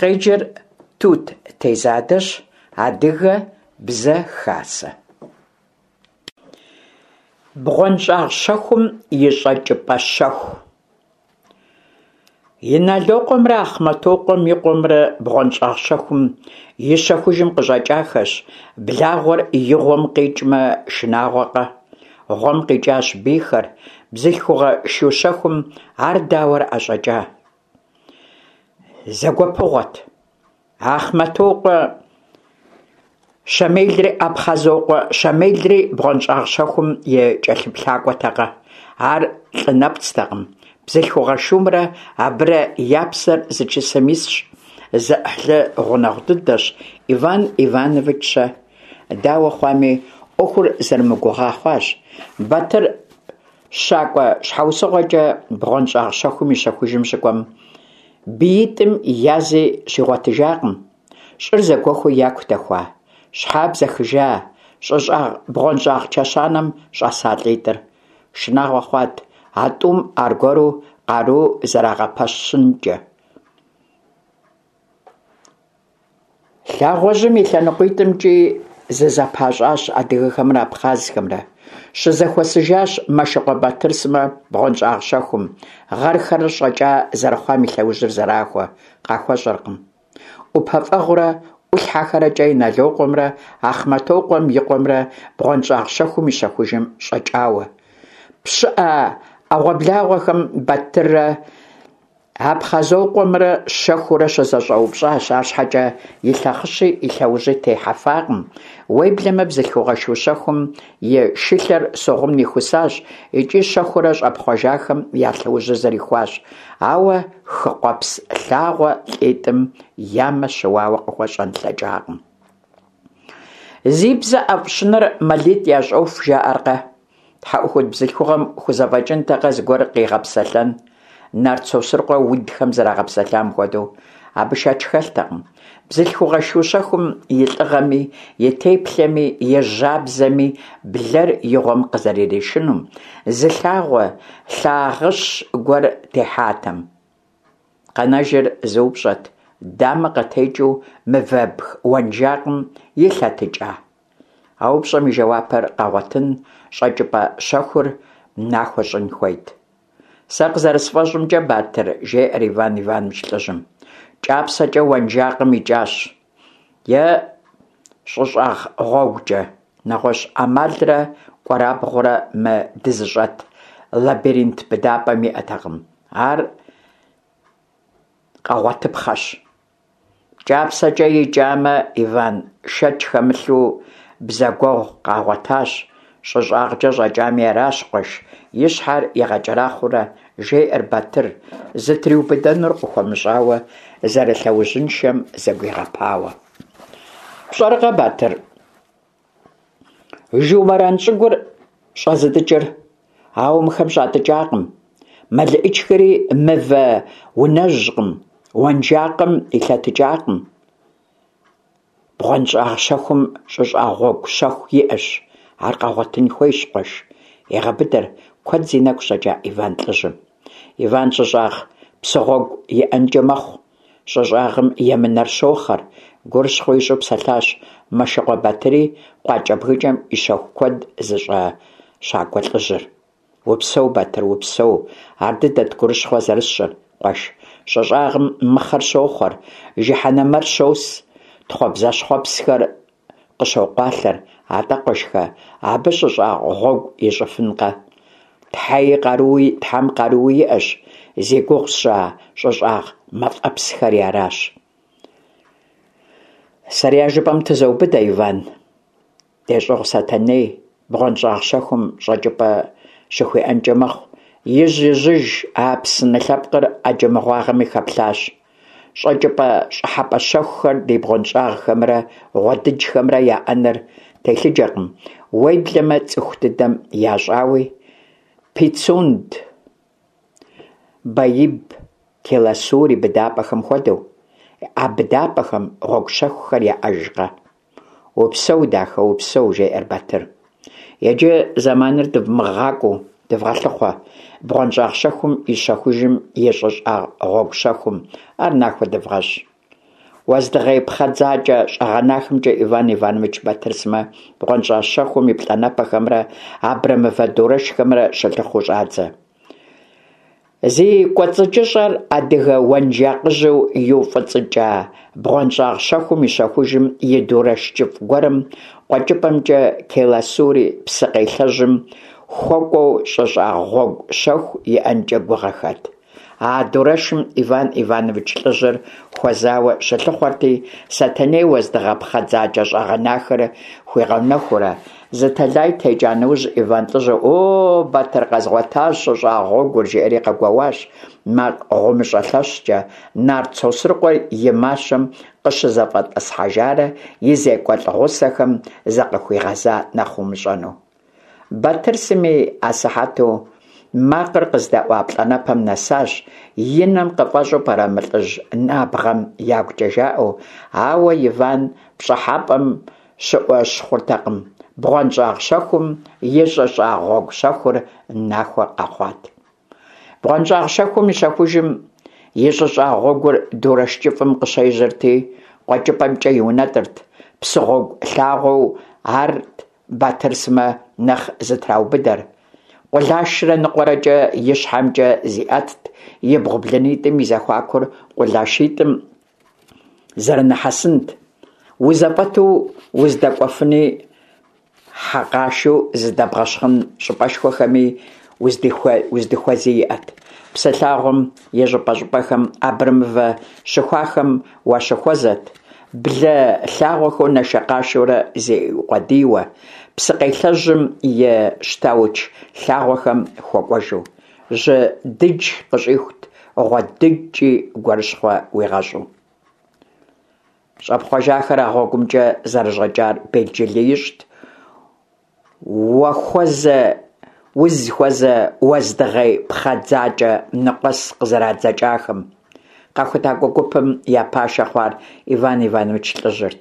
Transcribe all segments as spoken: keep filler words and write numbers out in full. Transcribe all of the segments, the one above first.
Къеджэр Тут Тезадэщ. Адыгэ Бзэ Хасэ. БгъуэнщӀагъ щэхум и щӀэкӀыпӀэ щэху. Иналокъуэмрэ Ахъмэтокъуэм и къуэмрэ бгъуэнщӀагъ щэхум и щэхужым къыщӀэкӀахэщ. Благъуэр и гъуэм къикӀмэ, шынагъуэкъэ? Гъуэм къикӀащ бийхэр. Бзылъхугъэ шу щэхум ар дауэрэ ӀэщӀэкӀа? Зэгуэпыгъуэт. Ахъмэтокъуэ Щэмелри Апхъазокъуэ Щэмелри бгъуэнщӀагъ щэхум и кӀэлъыплъакӀуэтэкъэ? Ар лӀы нэпцӀтэкъым. Бзылъхугъэ шумрэ абырэ я псэр зы чысэм исщ, зэӀыхьлы гъунэгъу дыдэщ. Иван Иванович-щэ? Дауэ хъуами, Ӏуэхур зэрамыгугъа хъуащ. Батыр щакӀуэ щхьэусыгъуэкӀэ бгъуэнщӀагъ щэхум и щэхужым щыкӀуэм, биитӀым язи щигъуэтыжакъым. ЩӀыр зэгуэхуу яку дэхуа? Щхьэ бзэхыжа щӀыщӀагъ бгъуэнщӀагъ чэщанэм щӀэса лӀитӀыр? Шынагъуэ хъуат а тӀум аргуэру къару зэрагъэпэщынкӀэ. Лъагъуэжьым и лъэныкъуитӀымкӀи зызэпащӀащ адыгэхэмрэ абхъазхэмрэ. Щызэхуэсыжащ Мэшыкъуэ Батыр сымэ бгъуэнщӀагъ щэхум. Гъэрхэр щӀэкӀа зэрыхъуам и лъэужьыр зэрахуэ, къахуэщӀэркъым. ӀупэфӀэгъурэ ӀулъхьэхэрэкӀэ Иналокъуэмрэ Ахъмэтокъуэм и къуэмрэ бгъуэнщӀагъ щэхум и щэхужым щӀэкӀауэ. ПщыӀэ Ӏэгъуэблагъэхэм Батыррэ Апхъазокъуэмрэ щэхуурэ щызэщӀэупщӀащ, арщхьэкӀэ и лъэхъыщи и лъэужьи техьэфакъым. Уеблэмэ бзылъхугъэ шу щэхум и шылъэр Согъум нихусащ икӀи щэхуурэ щӀэпхъуэжахэм я лъэужьыр зэрихуащ. Ауэ Хыкъуэпс лъагъуэ лӀитӀым я мэ щыуауэ къыхуэщӀэн лъэкӀакъым. Зи бзэ ӀэфӀ щынэр мэлитӀ ящӀоху, жаӀэркъэ? ТхьэӀухуд бзылъхугъэм хузэфӀэкӀынтэкъэ зыгуэр къигъэпсэлъэн, нарт Сосрыкъуэ удхэм зэрагъэпсэлъам хуэдэу? Абы шэч хэлътэкъым. Бзылъхугъэ шу щэхум и лӀыгъэми, и теплъэми, и жьабзэми блэр и гъуэм къызэрыришынум, зы лъагъуэ лъагъыщ гуэр техьатэм. Къэнэжыр зы упщӀэт: дамэ къытекӀыу мывэбг уэнжакъым илъэтыкӀа? А упщӀэм и жэуапыр къэгъуэтын, щӀэкӀыпӀэ щэхур нахуэ щӀын хуейт. Сэ къызэрысфӀэщӀымкӀэ, Батыр, жеӀэр Иван Иванович лӀыжьым, кӀапсэкӀэ уэнжакъым икӀащ е щӀыщӀагъ гъуэгукӀэ. НэгъуэщӀ Ӏэмалрэ кӀуэрабгъурэ мы дызыщӀэт лабиринт быдапӀэм иӀэтэкъым. Ар къэгъуэтыпхъэщ. КӀапсэкӀэ икӀамэ, Иван, шэч хэмылъу, бзэгуэгъу къагъуэтащ. ЩӀы щӀагъкӀэ щӀэкӀами аращ, къуэш, и щхьэр игъэкӀэрахъуэурэ жеӀэр Батыр, зытриубыдэнур къыхуэмыщӀауэ, зэрылъэужьыншэм зэгуигъэпауэ. ПщӀэркъэ, Батыр, Жумэран щӀыгур щӀэзытӀыкӀыр? Ауэ мыхэм щӀатӀыкӀакъым. МелыӀычхэри мывэ унэжькъым, уэнжакъым илъэтыкӀакъым. БгъуэнщӀагъ щэхум щӀыщӀагъ гъуэгу щэху иӀэщ. Ар къэгъуэтын хуейщ, къуэш, егъэбыдэр куэд зи нэгу щӀэкӀа Иван лӀыжьым. Иван щӀыщӀагъ псыгъуэгу иӀэнкӀэ мэхъу. ЩӀы щӀагъым емынэр щохъэр, гурыщхъуэ ищӀу псэлъащ Мэшыкъуэ Батыри, къуакӀэбгыкӀэм и щэху куэд зыщӀэ щакӀуэ лӀыжьыр. Упсэу, Батыр, упсэу, ардыдэт гурыщхъуэ зэрысщӀыр, къуэш. ЩӀы щӀагъым мыхъэр щохъуэр, жыхьэнэмэр щос, тхъуэбзащхъуэпсхэр къыщокъуалъэр. АтӀэ, къуэшхэ, абы щӀыщӀагъ гъуэгу ищӀыфынкъэ? Тхьэи къаруи, Тхьэм къаруи иӀэщ, зи гугъу сщӀа щӀыщӀагъ мафӀэпсхэри аращ. Сэри а жыпӀэм тызоубыдэ, Иван. ДещӀыгъу Сэтэней, бгъуэнщӀагъ щэхум щӀэкӀыпӀэ щыхуиӀэнкӀэ мэхъу. ИжьИжьыж Апсны лъэпкъыр Ӏэджэ мыгъуагъэми хэплъащ. ЩӀэкӀыпӀэ-щӀыхьэпӀэ щэхухэр ди бгъуэнщӀагъхэмрэ гъуэдыджхэмрэ яӀэныр телъыджэкъым, уеблэмэ цӀыху дыдэм ящӀауи Пицунд, Баиб, Келасури быдапӀэхэм хуэдэу. А быдапӀэхэм гъуэгу щэхухэр яӀэжкъэ? Упсэу, дахэ, упсэу, жеӀэр Батыр. Иджы зэманыр дывмыгъакӀуэу дывгъэлъыхъуэ бгъуэнщӀагъ щэхум и щэхужым и щӀыщӀагъ гъуэгу щэхум. Ар нахуэ дывгъэщӀ. Уэздыгъей пхъэдзакӏэ щӏэгъэнахэмкӏэ Иван Иванович, Батыр сымэ бгъуэнщӏагъ щэхум и плӏанэпэхэмрэ абрэмывэ дурэшхэмрэ щылъыхъуэу щӏадзэ. Зи кӏуэцӏыкӏыщӏэр адыгэ уэнжакъыжьу иуфӏыцӏыкӏа бгъуэнщӏагъ щэхум и щэхужым и дурэш кӏыфӏ гуэрым къуэкӏыпӏэмкӏэ Келасури псыкъелъэжьым хуэкӏуэу щӏыщӏагъ гъуэгу щэху иӏэнкӏэ гугъэхэт. А дурэшым Иван Иванович лӏыжьыр хуэзауэ щылъыхъуэрти, Сэтэней уэздыгъэ пхъэдзакӏэ щӏэгъэнахэр хуигъэнэхуурэ, зы тэлай текӏа нэужь, Иван лӏыжьыр «О, Батыр, къэзгъуэтащ щӏыщӏагъ гъуэгур!» жиӏэри къэгуоуащ, макъ гъумыщӏэ лъэщкӏэ, нарт Сосрыкъуэ и мащэм къыщызэфӏэтӏысхьэжарэ и зекӏуэлӏ гъусэхэм закъыхуигъэза нэхъ умыщӏэну. Батыр сыми асыхьэту макъыр къыздэӏуа плӏанэпэм нэсащ, и нэм къыфӏэщӏу пӏэрэ мы лӏыжь набгъэм ягукӏэ жаӏэу, ауэ Иван пщӏыхьэпӏэм щыӏуэщхъуртэкъым, бгъуэнщӏагъ щэхум и щӏыщӏагъ гъуэгу щэхур нахуэ къэхъуат. Бгъуэнщӏагъ щэхум и щэхужым и щӏыщӏагъ гъуэгур дурэш кӏыфӏым къыщежьэрти, къуэкӏыпӏэмкӏэ иунэтӏырт, псыгъуэгу лъагъуэу арт Батыр сымэ нэхъ зытраубыдэр. Къулашрэ ныкъуэрэкӏэ ищхьэмкӏэ зиӏэтт, ибгъу блынитӏым и зэхуакур къулашитӏым зэрынэхьэсынт. Узэфӏэту уздэкӏуэфыни, хьэкъашэу зыдэбгъэщхъын щӏыпӏэшхуэхэми уздыхуэзи иӏэт. Псы лъагъуэм и щӏыпӏэ-щӏыпӏэхэм абрэмывэ щыхуахэм уащыхуэзэт, блэ лъагъуэхэу нашэкъашэурэ зиукъуэдийуэ, псыкъелъэжьым и щтауч лъагъуэхэм хуэкӏуэжу. Жьы дыдж къыщӏихут, гъуэдыджкӏи гурыщхъуэ уигъэщӏу. Щӏэпхъуэжахэр а гъуэгумкӏэ зэрыщӏэкӏар белджылы ищӏт узыхуэзэ уэздыгъей пхъэдзакӏэ ныкъуэс къызэрадзэкӏахэм. Къэхутакӏуэ гупым я пашэ хъуар Иван Иванович лӏыжьырт.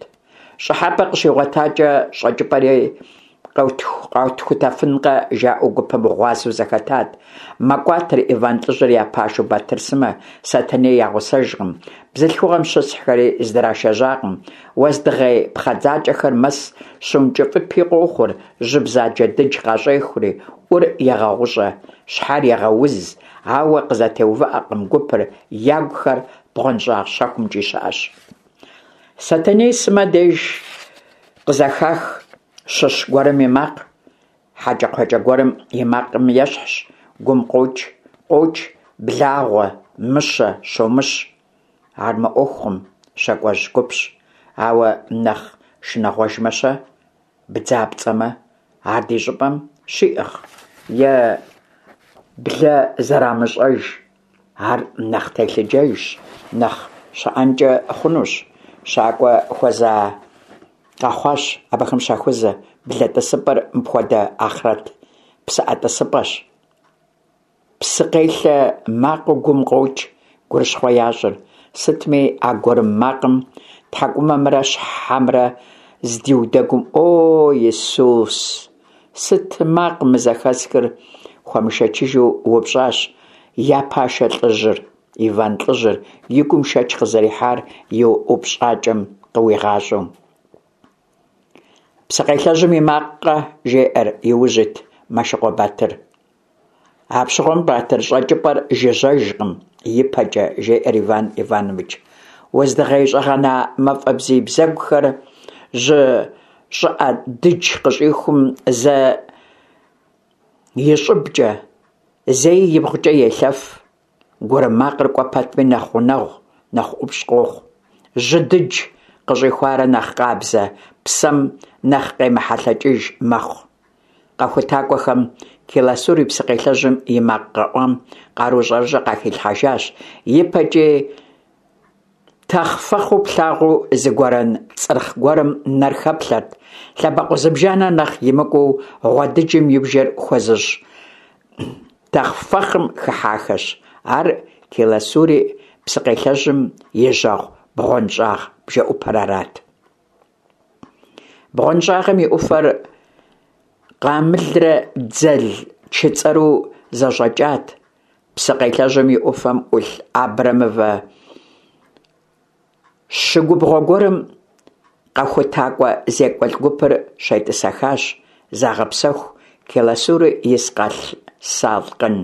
Щӏыхьэпӏэ къыщигъуэтакӏэ, щӏэкӏыпӏэри къэтхутэфынкъэ, жаӏэу гупым гъуазэу зэхэтат. Мэкӏуатэр Иван лӏыжьыр я пашэу Батыр сымэ, Сэтэней я гъусэжкъым, бзылъхугъэм щысхьхэри здрашэжьакъым. Уэздыгъей пхъэдзакӏэхэр мэс, щыункӏыфӏыпи къохъур, жьы бзаджэ дыдж къащӏехури, ӏур егъэгъущӏэ, щхьэр егъэуз, ауэ къызэтеувыӏэкъым гупыр, ягухэр бгъуэнщӏагъ щэхумкӏи щыӏэщ. Сэтэней сымэ деж къызэхах щыщ гуэрым и макъ, хьэкӏэкхъуэкӏэ гуэрым и макъым ещхьщ, гум къокӏ, къокӏ, благъуэ, мыщэ, щомыщ. Ар мыӏуэхукъым, щакӏуэжь гупщ, ауэ нэхъ шынагъуэжмэ-щэ? Бдзапцӏэмэ, ар ди щӏыпӏэм щиӏыгъ? Е блэ зэрамыщӏэж? Ар нэхъ телъыджэжщ, нэхъ щыӏэнкӏэ хъунущ. Щакӏуэ хуэза къэхъуащ абыхэм щахуэзэ, блэ тӏысыпӏэр мыпхуэдэ ахърэт псыӏэ тӏысыпӏэщ. Псыкъелъэ макъыу гум къокӏ, гурыщхъуэ ящӏыр. Сытми, а гурым макъым тхьэкӏумэмрэ щхьэмрэ здиудэгум, «О, Исус! Сыт макъ мы зэхэсхыр?» хуэмышэчыжу упщӏащ я пашэ лӏыжьыр, Иван лӏыжьыр, и гум шэч къызэрихьар и упщӏакӏэм къыуигъащӏэу. Псыкъелъэжьым и макъкъэ, жеӏэр иужь ит Мэшыкъуэ Батыр. Апщыгъуэм, Батыр, щӏэкӏыпӏэр жыжьэжкъым, ипэкӏэ, жеӏэр Иван Иванович. Уэздыгъей щӏэгъэна мафӏэ бзий бзэгухэр жьы щӏыӏэ дыдж къыщӏихум зэ и щӏыбкӏэ, зэи ибгъукӏэ елъэф. Гурым макъыр кӏуэ пэтми нэхъ гъунэгъу, нэхъ ӏупщӏ къохъу. Жьы дыдж къыщӏихуарэ нэхъ къабзэ, псэм нэхъ къемыхьэлъэкӏыж мэхъу. Къэхутакӏуэхэм Келасури псыкъелъэжьым и макъ къэӏуам къару щӏэрыщӏэ къахилъхьэжащ. Ипэкӏи тэхъфэхъыу плъагъуу зы гуэрэн цӏырхъ гуэрым нэр хэплъэрт. Лъэбакъуэ зыбжанэ нэхъ имыкӏуу гъуэдыджым и бжэр хуэзыщӏ тэхъфэхъым хыхьахэщ. Ар Келасури псыкъелъэжьым и жьэгъу бгъуэнщӏагъ бжэӏупэр арат. Бгъуэнщӏагъым и ӏуфэр къамылрэ дзэл чыцӏэру зэщӏэкӏат. Псыкъелъэжьым и ӏуфэм ӏулъ абрэмывэ Пщы губгъуэ гуэрым къэхутакӀуэ зекӀуэлӀ гупыр щетӀысэхащ, загъэпсэху, Келасури и Салкъын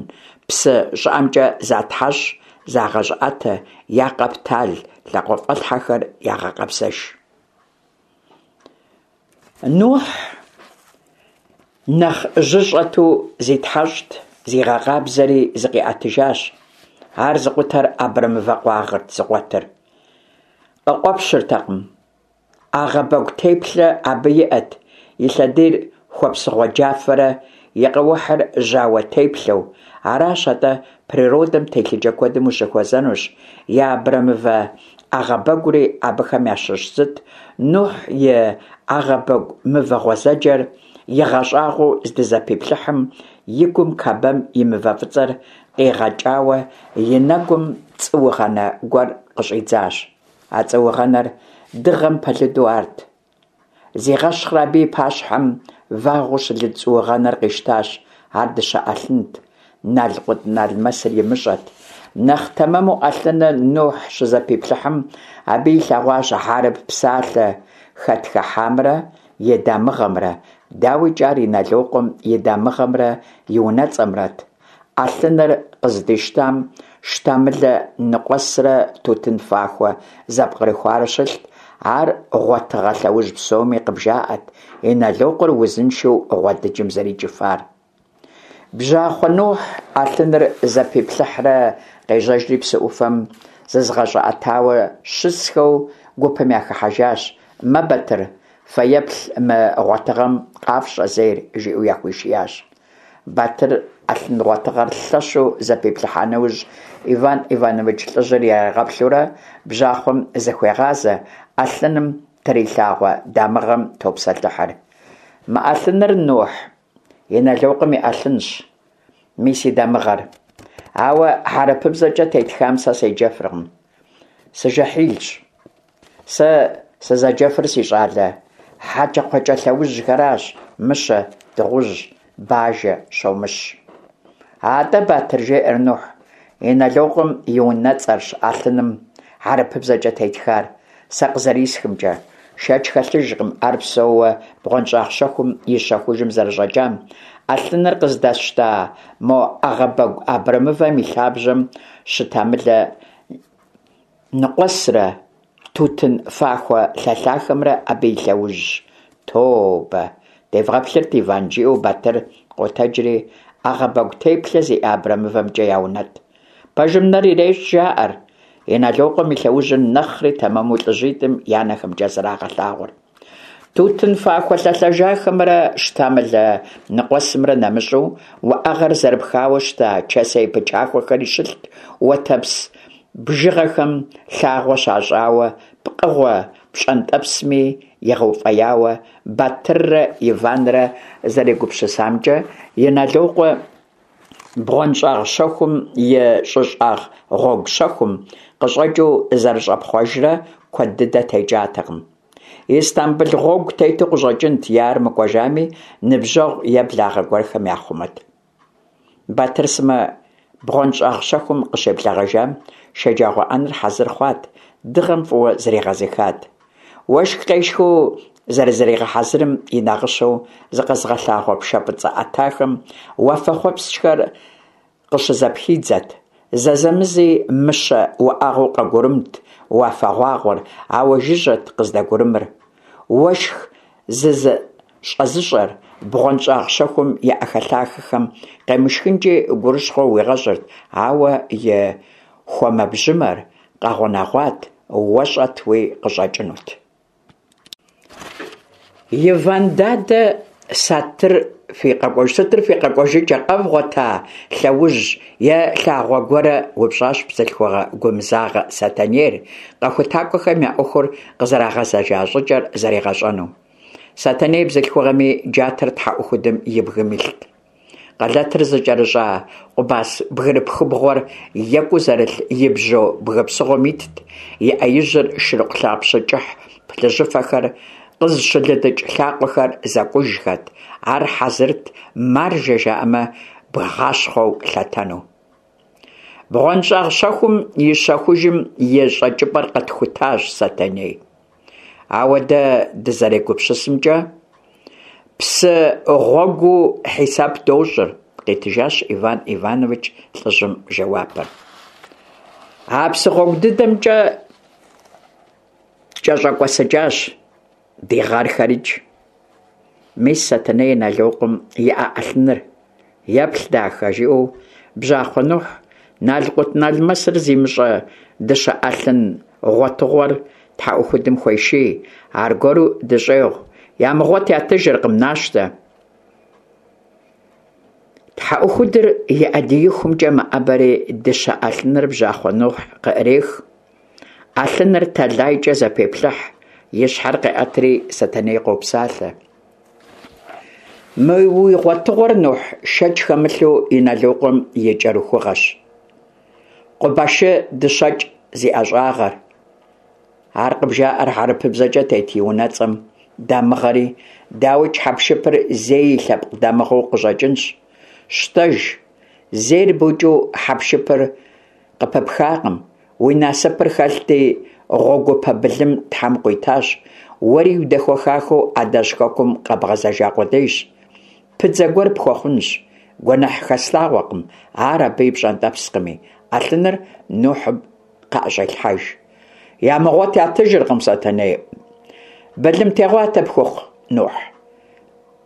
псы щӀыӀэмкӀэ затхьэщӀ, загъэщӀыӀэтэ, я къэптал лъакъуэфӀэлъхьэхэр ягъэкъэбзэж. Нухь нэхъ жьы щӀэту зитхьэщӀт, зигъэкъабзэри зыкъиӀэтыжащ. Ар зыкъутэр абрэмывэ къуагъырт зыкъуэтыр. Къыкъуэпщыртэкъым. Ӏэгъэбэгу теплъэ абы иӀэт, и лъэдийр хуэпсыгъуэ-джафэрэ и къэухьыр жьауэ теплъэу. Аращ атӀэ, природэм телъыджэ куэдым ущыхуэзэнущ, и абрэмывэ Ӏэгъэбэгури абыхэм ящыщ зыт. Нухь и Ӏэгъэбэгу мывэ гъуэзэджэр игъэщӀагъуэу здызэпиплъыхьым, и гум Кабэм и мывэ фӀыцӀэр къигъэкӀауэ и нэгум цӀуугъэнэ гуэр къыщӀидзащ. А цӀуугъэнэр дыгъэм пэлыду арт. Зигъэщхърэ абы и пащхьэм вагъуэу щылыд цӀуугъэнэр къищтащ. Ар дыщэ Ӏэлъынт, налкъутналмэсыр имыщӀэт. Нэхъ тэмэму Ӏэлъыныр Нухь щызэпиплъыхьым, абы илъэгъуащ хьэрып псалъэ хэтхыхьамрэ и дамыгъэмрэ. ДауикӀ, ар Инэлокъуэм и дамыгъэмрэ и унэцӀэмрэт. Ӏэлъыныр къыздищтам щтамылэ ныкъуэсрэ тутын фахуэ зэпкърыхуарэ щылът. Ар гъуэтыгъэ лъэужь псоми къыбжаӀэрт Инэлокъуэр узыншэу гъуэдыджым зэрикӀыфар. Бжьахъуэ Нухь Ӏэлъыныр зэпиплъыхьрэ къежьэжри псы Ӏуфэм зызыгъэщӀыӀэтауэ щысхэу гупым яхыхьэжащ. «Мэ, Батыр, фэеплъ мы гъуэтыгъэм къафщӀэ зейр», жиӀэу яхуишиящ. Батыр Ӏэлъын гъуэтыгъэр лъэщу зэпиплъыхьа нэужь, Иван Иванович лӀыжьыр иригъэплъурэ бжьахъуэм зыхуегъазэ, Ӏэлъыным трилъагъуэ дамыгъэм топсэлъыхьыр. «Мы Ӏэлъыныр, Нухь, Инэлокъуэм и Ӏэлъынщ, мис и дамыгъэр. Ауэ хьэрыпыбзэкӀэ тетхам сэ седжэфыркъым. Сыжэхьилщ. Сэ сызэджэфыр, си щӀалэ, хьэкӀэкхъуэкӀэ лъэужьхэращ: мыщэ, дыгъужь, бажэ, щомыщ». «АтӀэ, Батыр, — жеӀэр Нухь, — Инэлокъуэм и унэцӀэрщ Ӏэлъыным хьэрыпыбзэкӀэ тетхар, сэ къызэрисхымкӀэ. Шэч хэлъыжкъым ар псэууэ бгъуэнщӀагъ щэхум и щэхужым зэрыщӀэкӀам. Ӏэлъыныр къыздэсщта мо Ӏэгъэбэгу абрэмывэм и лъабжьэм щытамылэ ныкъуэсрэ тутын фахуэ лъэлъахэмрэ абы и лъэужьщ. Тобэ, девгъэплъырт, Иван, — жиӀэу Батыр къотэджри Ӏэгъэбэгу теплъэ зиӀэ абрэмывэмкӀэ яунэтӀ. Пэжым нэр ирещӀ, жаӀэр. Инэлокъуэм и лъэужьыр нэхъри тэмэму лӀыжьитӀым я нэхэмкӀэ зэрагъэлъагъур. Тутын фахуэ лъэлъэжахэмрэ щтамылэ ныкъуэсымрэ нэмыщӀу, уӀэгъэр зэрыпхауэ щыта чэсей пычахуэхэри щылът, уэтэпс бжыгъэхэм лъагъуэ щащӀауэ, пкъыгъуэ пщӀэнтӀэпсми игъэуфӀеяуэ. Батыррэ Иванрэ зэрегупсысамкӀэ, Инэлокъуэ бгъуэнщӀагъ щэхум и щӀыщӀагъ гъуэгу щэхум къыщӀэкӀыу зэрыщӀэпхъуэжрэ куэд дыдэ текӀатэкъым. Истамбыл гъуэгу тету къыщӀэкӀынт, е ар мыкӀуэжами, ныбжьэгъу е благъэ гуэрхэм яхъумэт. Батыр сымэ бгъуэнщӀагъ щэхум къыщеблэгъэжам, шэджагъуэ Ӏэнэр хьэзыр хъуат, дыгъэм фӀыуэ зригъэзыхат. Уэшх къешхыу зэрызригъэхьэзырым и нагъыщэу зыкъэзыгъэлъагъуэ пшэ фӀыцӀэ Ӏэтахэм уафэхъуэпскӀхэр къыщызэпхидзэт. Зэзэмызи мыщэ уӀэгъэу къэгурымт уафэгъуагъуэр, ауэ жыжьэт къыздэгурымыр. Уэшх зызыщӀэзыщӀэр бгъуэнщӀагъ щэхум и Ӏэхэлъахэхэм къемышхынкӀи гурыщхъуэ уигъэщӀырт, ауэ и хуэмэбжьымэр къэгъунэгъуат, уэщӀэтуи къыщӀэкӀынут. Иван дадэ, сатыр фи къэкӀуэж сытыр фи къэкӀуэжыкӀэ, къэвгъуэта лъэужь е лъагъуэ гуэрэ? – упщӀащ бзылъхугъэ гумызагъэ Сэтэнейр, къэхутакӀуэхэм я Ӏуэхур къызэрагъэзэжа щӀыкӀэр зэригъэщӀэну. Сэтэней бзылъхугъэми, джатэр тхьэӀухудым и бгым илът. Къэлэтыр зыкӀэрыщӀа къубас бгырыпхыбгъуэр екӀуу зэрылъ и бжьо бгы псыгъуэм итт, и Ӏэ ижьыр шырыкъу лъапщэ кӀыхь плъыжьыфэхэр къызыщылыдыкӀ лъакъуэхэр зэкӀужхэт, ар хьэзырт, маржэ жаӀэмэ, бгъащхъуэу лъэтэну. Бгъуэнщӏагъ щэхум и щэхужым и щӏэкӏыпӏэр къэтхутащ, Сэтэней. Ауэ дэ дызэрегупсысымкӏэ, псы гъуэгуу хьисэп дощӏыр, – къитыжащ Иван Иванович лӏыжьым жэуапыр. А псы гъуэгу дыдэмкӏэ кӏэщӏэкӏуэсыкӏащ ди гъэрхэрикӏ. Мис Сэтэней Иналокъуэм иӏэ ӏэлъыныр. Еплъ, дахэ, жиӏэу бжьахъуэ Нухь налкъутналмэсыр зимыщӏэ дыщэ ӏэлъын гъуэтыгъуэр тхьэӏухудым хуеший. Аргуэру дыщӏегъу: ямыгъуэт ятыжыркъым, нащтэ. Тхьэӏухудыр и ӏэдиихумкӏэ мэӏэбэри дыщэ ӏэлъыныр бжьахъуэ Нухь къыӏрех. Ӏэлъыныр тэлайкӏэ зэпеплъыхь, и щхьэр къеӏэтри Сэтэней къопсалъэ. Мы уи гъуэтыгъуэр, Нухь, шэч хэмылъу, Иналокъуэм и кӏэрыхугъэщ. Къубашы дыщэкӏ зи ӏэщӏагъэр. Ар къыбжаӏэр хьэрыпыбзэкӏэ тет и унэцӏэм, дамыгъэри, дауикӏ, хьэпшыпыр зей и лъэпкъ дамыгъэу къыщӏэкӏынщ. Щтэж, зейр букӏыу хьэпшыпыр къыпыпхакъым, уи насыпыр хэлъти, гъуэгупэ былым Тхьэм къуитащ, уэри удэхуэхахэу адэжь хэкум къэбгъэзэжа къудейщ. Пыдзэ гуэр пхуэхъунщ. Гуэныхь хэслъагъуэкъым, ар абы и пщӏэнтӏэпскъыми. Ӏэлъыныр Нухьым къыӏэщӏелъхьэж. Ямыгъуэт ятыжыркъым, Сэтэней. Былым тегъуатэ пхухъу, Нухь.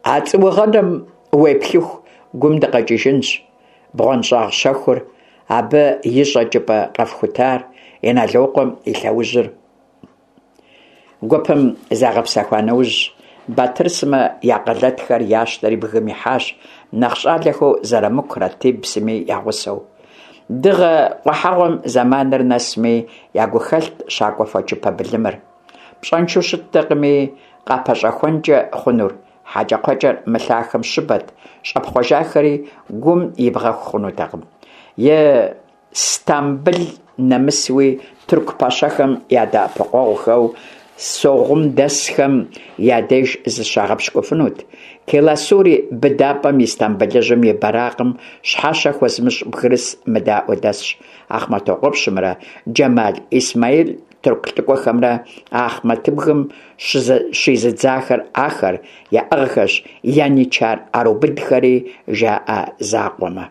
А цӏуугъэнэм уеплъыху гум дыкъэкӏыжынщ. Бгъуэнщӏагъ щэхур, абы и щӏэкӏыпӏэ къэфхутар, Иналокъуэм и лъэужьыр. Гупым загъэпсэхуа нэужь, Батыр сымэ я къэлэтхэр ящтэри бгым ихьащ, нэхъ щӏалэхэу Зэрамыку, Ратиб сыми я гъусэу. Дыгъэ къухьэгъуэм зэманыр нэсми, я гухэлът щакӏуэ фочыпэ былымыр. Пщӏэншэу щыттэкъыми къапэщӏэхуэнкӏэ хъунур, хьэкӏэкхъуэкӏэр мы лъахэм щыбэт, щӏэпхъуэжахэри гум ибгъэху хъунутэкъым. Истамбыл нэмысуи тырку пэщэхэм я дэӏэпыкъуэгъухэу согъумдэсхэм я деж зыщагъэпщкӏуфынут. Келасури быдапӏэм Истамбылыжьым и бэракъым щхьэщэ хуэзымыщӏ бгырыс мыдаӏуэ дэсщ. Ахъмэтокъуэпщымрэ Джэмал Исмаил тырку лӏыкӏуэхэмрэ Ахъмэтыбгым щизыдзахэр ахэр, яӏыгъхэщ яничар ӏэрубыдхэри, жаӏэ закъуэмэ.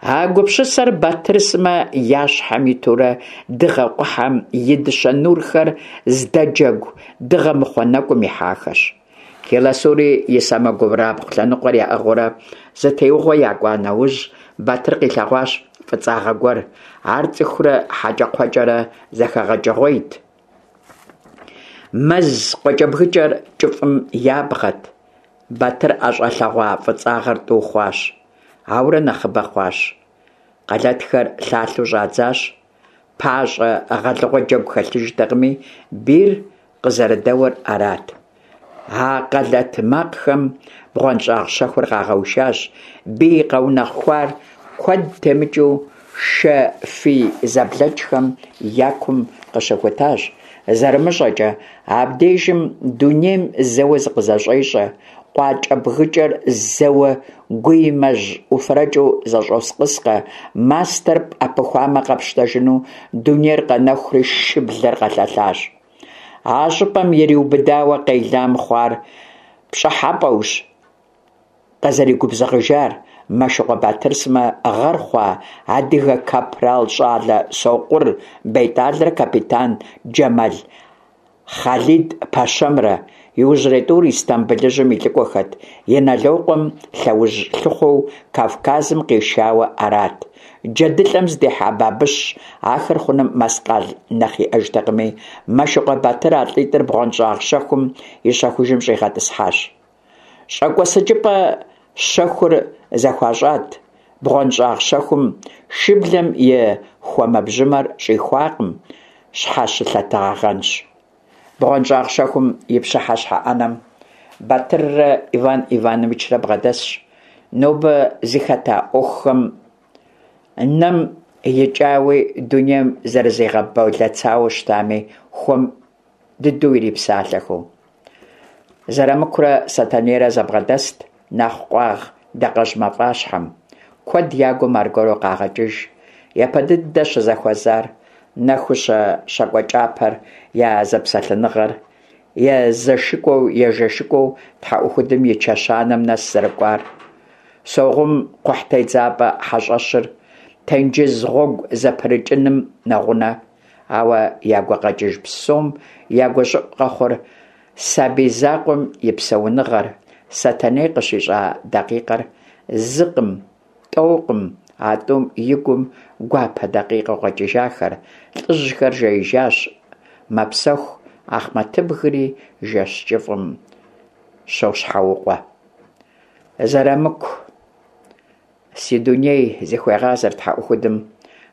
А гупсысэр Батыр сымэ я щхьэм итурэ дыгъэ къухьэм и дыщэ нурхэр здэджэгу дыгъэмыхъуэ нэкӏум ихьахэщ. Келасури и сэмэгурабгъу лъэныкъуэр яӏыгъыурэ зы теугъуэ якӏуа нэужь, Батыр къилъэгъуащ фӏыцӏагъэ гуэр. Ар цӏыхурэ хьэкӏэкхъуэкӏэрэ зэхэгъэкӏыгъуейт. Мэз къуакӏэбгыкӏэр кӏыфӏым ябгъэт. Батыр ӏэщӏэлъэгъуа фӏыцӏагъэр тӏу хъуащ. Ауэрэ нэхъыбэ хъуащ. Къэлэтхэр лъалъэу щӏадзащ. Пащӏэ гъэлыгъуэ джэгу хэлъыжтэкъыми, бийр къызэрыдэуэр арат. А къэлэт макъхэм бгъуэнщӏагъ щэхур къагъэушащ. Бий къэунэхуар куэд темыкӏыу шэ фий зэблэкӏхэм я кум къыщыхутащ. Зэрымыщӏэкӏэ, абдежым дунейм зэуэ зыкъызэщӏещӏэ, къуакӏэбгыкӏэр зэуэ гуимэжь уфэрэкӏыу зэщӏоскъыскъэ, мастэр пӏэпыхуамэ къэпщтэжыну дунейр къэнэхури шыблэр къэлъэлъащ. А щӏыпӏэм ириубыдауэ къелам хъуар пщӏыхьэпӏэущ къызэригубзыгъыжар Мэшыкъуэ Батыр сымэ гъэр хъуа адыгэ капрал щӏалэ Сокъур Бетӏалрэ капитан Джэмал Хъалид пэщэмрэ. Иужьрей тӏур Истамбылыжьым и лӏыкӏуэхэт, Иналокъуэм лъэужь лъыхъуэу Кавказым къишауэ арат. Джэдылӏэм здихьа бабыщ ахэр хъуным мэскъал нэхъ иӏэжтэкъыми, Мэшыкъуэ Батыр а лӏитӏыр бгъуэнщӏагъ щэхум и щэхужым щӏигъэтӏысхьащ. Щӏэкӏуэсыкӏыпӏэ щэхур зэхуащӏат. Бгъуэнщӏагъ щэхум шыблэм и хуэмэбжьымэр щӏихуакъым, щхьэщылъэтагъэнщ. Бгъуэнщӏагъ щэхум и пщыхьэщхьэ ӏэнэм Батыррэ Иван Ивановичрэ бгъэдэсщ. Нобэ зыхэта ӏуэхухэм нэм икӏауи дунейм зэрызигъэбэлэцауэ щытами хуэм дыдэу ирипсалъэхэу. Зэрамыкурэ Сэтэнейрэ зэбгъэдэст нэхъ къуагъ дакъэжь мафӏащхьэм. Куэд я гум аргуэру къагъэкӏыж. япэ дыдэ щызэхуэзар, Нэхущэ щакӏуэ кӏапэр, я зэпсэлъэныгъэр, езэшыкӏуэу-ежэшыкӏуэу тхьэӏухудым и чэщанэм нэс зэрыкӏуар, Согъум кхъухьтедзапӏэ хьэщӏэщыр, тенджыз гъуэгу зэпрыкӏыным нэгъунэ. Ауэ я гукъэкӏыж псом я гущӏыӏу къэхъур сабий закъуэм и псэуныгъэр, Сэтэней къыщищӏа дакъикъэр зыкъым, тӏэукъым а тӏум и гум гуапэ дакъикъэу къэкӏыжахэр. Лӏыжьхэр жеижащ, мэпсэху, Ахъмэтыбгри жэщ кӏыфӏым щощхьэукъуэ. Зэрамыку, си дуней, зыхуегъазэр тхьэӏухудым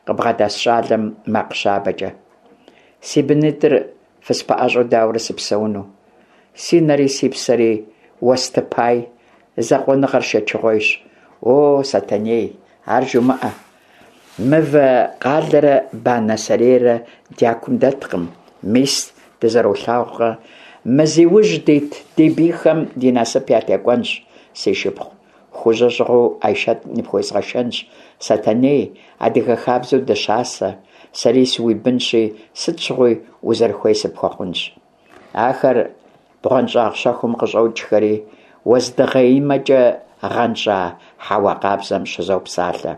къыбгъэдэс щӏалэм макъ щабэкӏэ. Си бынитӏыр фыспэӏэщӏэу дауэрэ сыпсэуну? Си нэри си псэри уэстыпай, закъуэныгъэр шэчыгъуейщ. О, Сэтэней, ар жумыӏэ. Мывэ къалэрэ банэ сэрейрэ дякум дэткъым. Мис, дызэролъагъукъэ, мы зи ужь дит ди бийхэм ди насып ятекӏуэнщ, си шыпхъу. Хужьэ щӏыгъуу Айшэт ныпхуезгъэшэнщ. Сэтэней, адыгэ хабзэу дыщасэ, сэри сыуибынщи, сыт щыгъуи узэрыхуей сыпхуэхъунщ. Ахэр бгъуэнщӏагъ щэхум къыщӏокӏхэри, уэздыгъеимэкӏэ гъэнщӏа хьэуа къабзэм щызопсалъэ.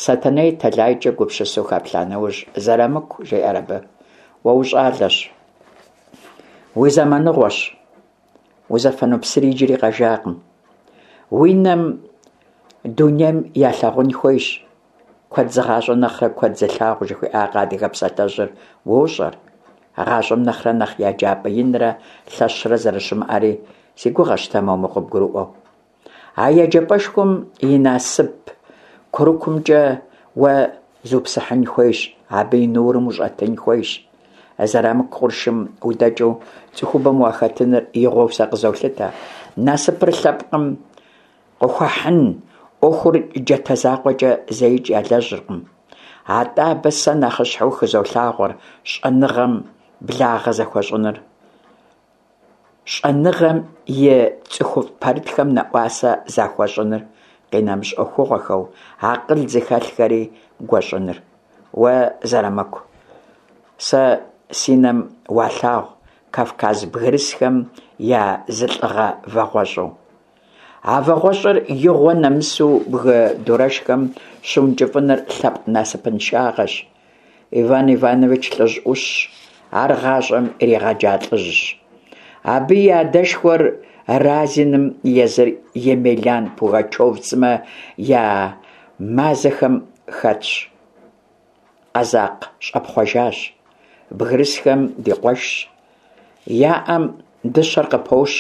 Сэтэней тэлайкӏэ гупсысэу хэплъа нэужь, Зэрамыку, жеӏэр абы, уэ ущӏалэщ, уи зэманыгъуэщ, узэфэну псыри иджыри къэжакъым. Уи нэм дунейм ялъагъун хуейщ. Куэд зыгъащӏэ нэхърэ куэд зылъагъу жыхуиӏакъэ адыгэ псалъэжьыр уощӏэр. Гъащӏэм нэхърэ нэхъ еджапӏэ инрэ лъэщрэ зэрыщымыӏэри си гугъэщ тэмэму къыбгурыӏуэу. А еджапӏэшхуэм и насып курыкумкӏэ уэ зупсыхьын хуейщ, абы и нурым ущӏэтын хуейщ. Зэрамыку къуршым удэкӏыу цӏыхубэм уахэтыныр игъуэу сэ къызолъытэ. Насыпыр лъэпкъым къыхуэхьын ӏуэхур джатэ закъуэкӏэ зэикӏ ялэжьыркъым. Атӏэ абы сэ нэхъыщхьэу хызолъагъуэр щӏэныгъэм благъэ зэхуэщӏыныр, щӏэныгъэм и цӏыхуфӏ пэрытхэм нэӏуасэ захуэщӏыныр, къинэмыщӏ ӏуэхугъуэхэу акъыл зыхэлъхэри гуэщӏыныр. Уэ, Зэрамыку, сэ си нэм уалъагъу Кавказ бгырысхэм я зы лӏыгъэ вагъуэщӏу. А вагъуэщӏыр игъуэ нэмысу бгы дурэшхэм щыункӏыфӏыныр лъэпкъ насыпыншагъэщ. Иван Иванович лӏыжь ӏущщ, ар гъащӏэм иригъэджа лӏыжьщ. Абы и адэшхуэр Разиным езыр Емельян Пугачев сымэ я мазэхэм хэтщ. Къэзакъ щӏэпхъуэжащ. Бгырысхэм ди къуэшщ. Я ӏэм дыщэр къыпощ,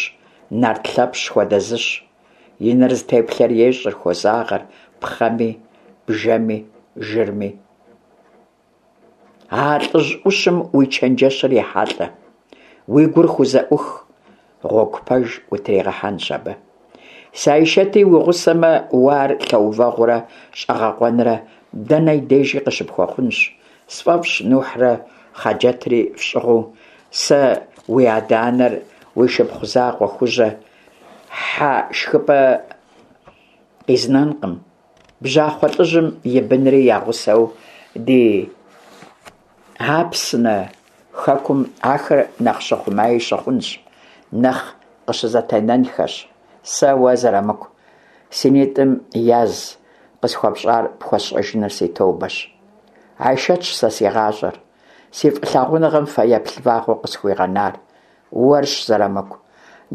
нарт Лъэпщ хуэдэ зыщ. И нэр зытеплъэр ещӏыр, хозагъэр пхъэми, бжэми, жырми. А лӏыжь ӏущым уи чэнджэщыр ехьэлӏэ, уи гур хузэӏух, гъуэгу пэж утригъэхьэнщ абы. Си Айшэти уи гъусэмэ, уэ ар лъэувэгъурэ щӏэгъэкъуэнрэ дэнэ и дежи къыщыпхуэхъунщ. Сфӏэфӏщ Нухьрэ Хъаджэтри фщӏыгъуу, сэ уи адэ-анэр, уи шыпхъу закъуэ Хужьэ хьэ шхыпӏэ къизнэнкъым. Бжьахъуэ лӏыжьым и бынри я гъусэу ди Апсны хэкум ахэр нэхъ щыхъумаи щыхъунщ, нэхъ къыщызэтенэнхэщ. Сэ уэ, Зэрамыку, си нитӏым яз къысхуэпщӏар пхуэсщӏэжыныр си тобэщ. Айшэтщ сэ си гъащӏэр, си фӏылъагъуныгъэм фэеплъ вагъуэу къысхуигъэнар. Уэрщ, Зэрамыку,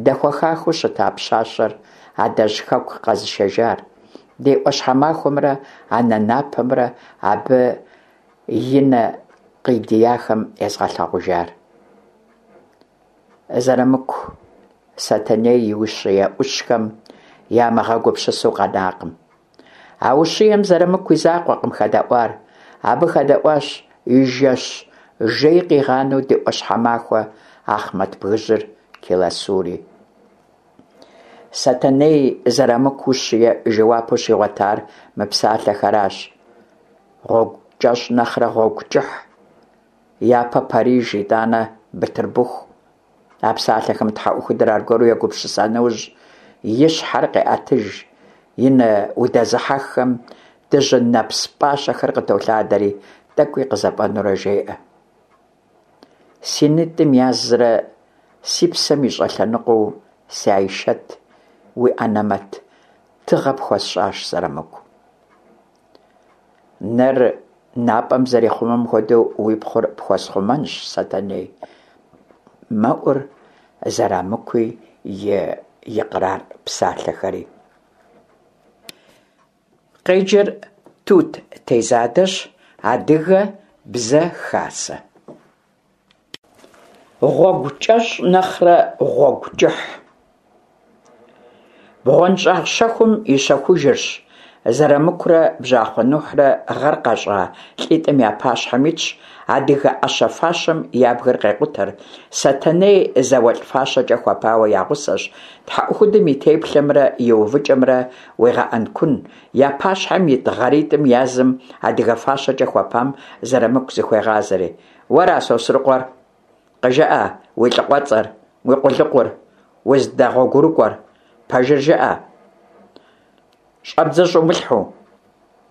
дэхуэхахэу щыта пщащэр адэжь хэку къэзышэжар, ди ӏуащхьэмахуэмрэ анэ напэмрэ абы и нэ къидияхэм езгъэлъагъужар. Зэрамыку Сэтэней и ущие ӏущхэм ямыгъэгупсысу къэнакъым. А ущием Зэрамыку и закъуэкъым хэдэӏуар. Абы хэдэӏуащ и жэщ жей къигъанэу ди ӏуащхьэмахуэ Ахъмэт бгыжьыр Келасури. Сэтэней Зэрамыку ущие жэуапу щигъуэтар мы псалъэхэращ: гъуэгу кӏэщӏ нэхърэ гъуэгу кӏыхь, япэ Париж, итӏанэ Бытырбыху. А псалъэхэм тхьэӏухудыр аргуэру егупсыса нэужь, и щхьэр къеӏэтыж, и нэ удэзыхьэххэм дыжьын нэпс пӏащэхэр къытолъадэри, тӏэкӏуи къызэфӏэнэурэ жеӏэ: Си нитӏым язрэ си псэм и щӏэлъэныкъуэу си Айшэт, уи анэмэт тыгъэ пхуэсщӏащ, Зэрамыку. Нэр напӏэм зэрихъумэм хуэдэу уи пхъур пхуэсхъумэнщ, Сэтэней, мэӏур Зэрамыкуи и икърар псалъэхэри. Къеджэр Тут Тезадэщ, Адыгэ Бзэ Хасэ. Гъуэгу кӏэщӏ нэхърэ гъуэгу кӏыхь. БгъуэнщӀагъ щэхум и щэхужырщ. Зэрамыкурэ Бжьахъуэ Нухьрэ гъэр къащӏа лӏитӏым я пащхьэм итщ, адыгэ ӏэщэ-фащэм я бгыр къекъутэр, Сэтэней зауэлӏ фащэкӏэ хуэпауэ я гъусэщ, тхьэӏухудым и теплъэмрэ и увыкӏэмрэ уегъэӏэнкун. Я пащхьэм ит гъэритӏым язым, адыгэ фащэкӏэ хуэпам, Зэрамыку зыхуегъазэри: Уэра Сосрыкъуэр? Къыжыӏэ уи лӏакъуэцӏэр, уи къулыкъур, уздэгъуэгурыкӏуэр, пэжыр жыӏэ, щӏэбдзэ щӏумылъхьэу,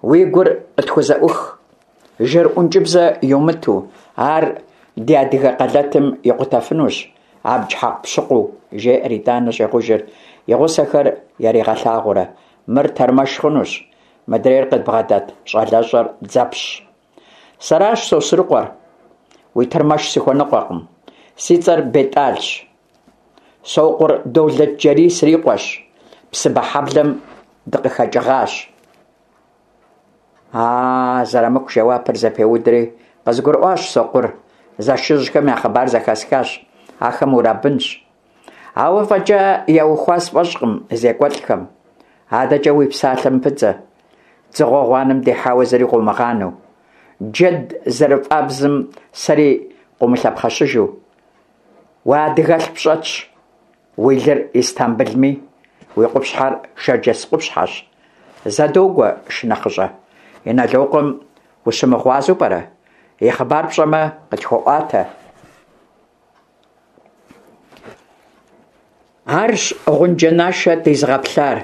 уи гур къытхузэӏух, жыр ӏункӏыбзэ йумыту, ар ди адыгэ къэлэтым икъутэфынущ, абдж хьэкъупщыкъуу, жеӏэр итӏанэ щӏегъужыр, и гъусэхэр яригъэлъагъуурэ: Мыр тэрмэш хъунущ, мыдрейр къыдбгъэдэт щӏалэщӏэр дзэпщщ. Сэращ Сосрыкъуэр, уи тэрмэш сыхуэныкъуэкъым. Си цӏэр Бетӏалщ. Сокъур Долэтджэрий срикъуэщ, Псыбэ хьэблэм дыкъыхэкӏыгъащ. А Зэрамыку жэуапыр зэпеудри: Къызгурыӏуащ, Сокъур, зэшыжьхэм я хъыбар зэхэсхащ, ахэм урабынщ. Ауэ фӏэкӏа яухуа сфӏэщӏкъым зекӏуэлӏхэм. Адэкӏэ уи псалъэм пыдзэ. Дзыгъуэ гъуанэм дихьауэ зыри къыумыгъанэу, джэд зэрыфӏабзым сэри къыумылъэпхъэщыжу. Уэ адыгэлъ пщӏэтщ, уи лыр Истамбылми, уи къупщхьэр шэрджэс къупщхьэщ. Зэ догуэ, шынэхъыщӏэ, Инэлокъуэм ущымыгъуазэу пӏэрэ? И хъыбар пщӏэмэ, къытхуэӏуатэ. Арщ гъунджэ нашэ дизыгъэплъар,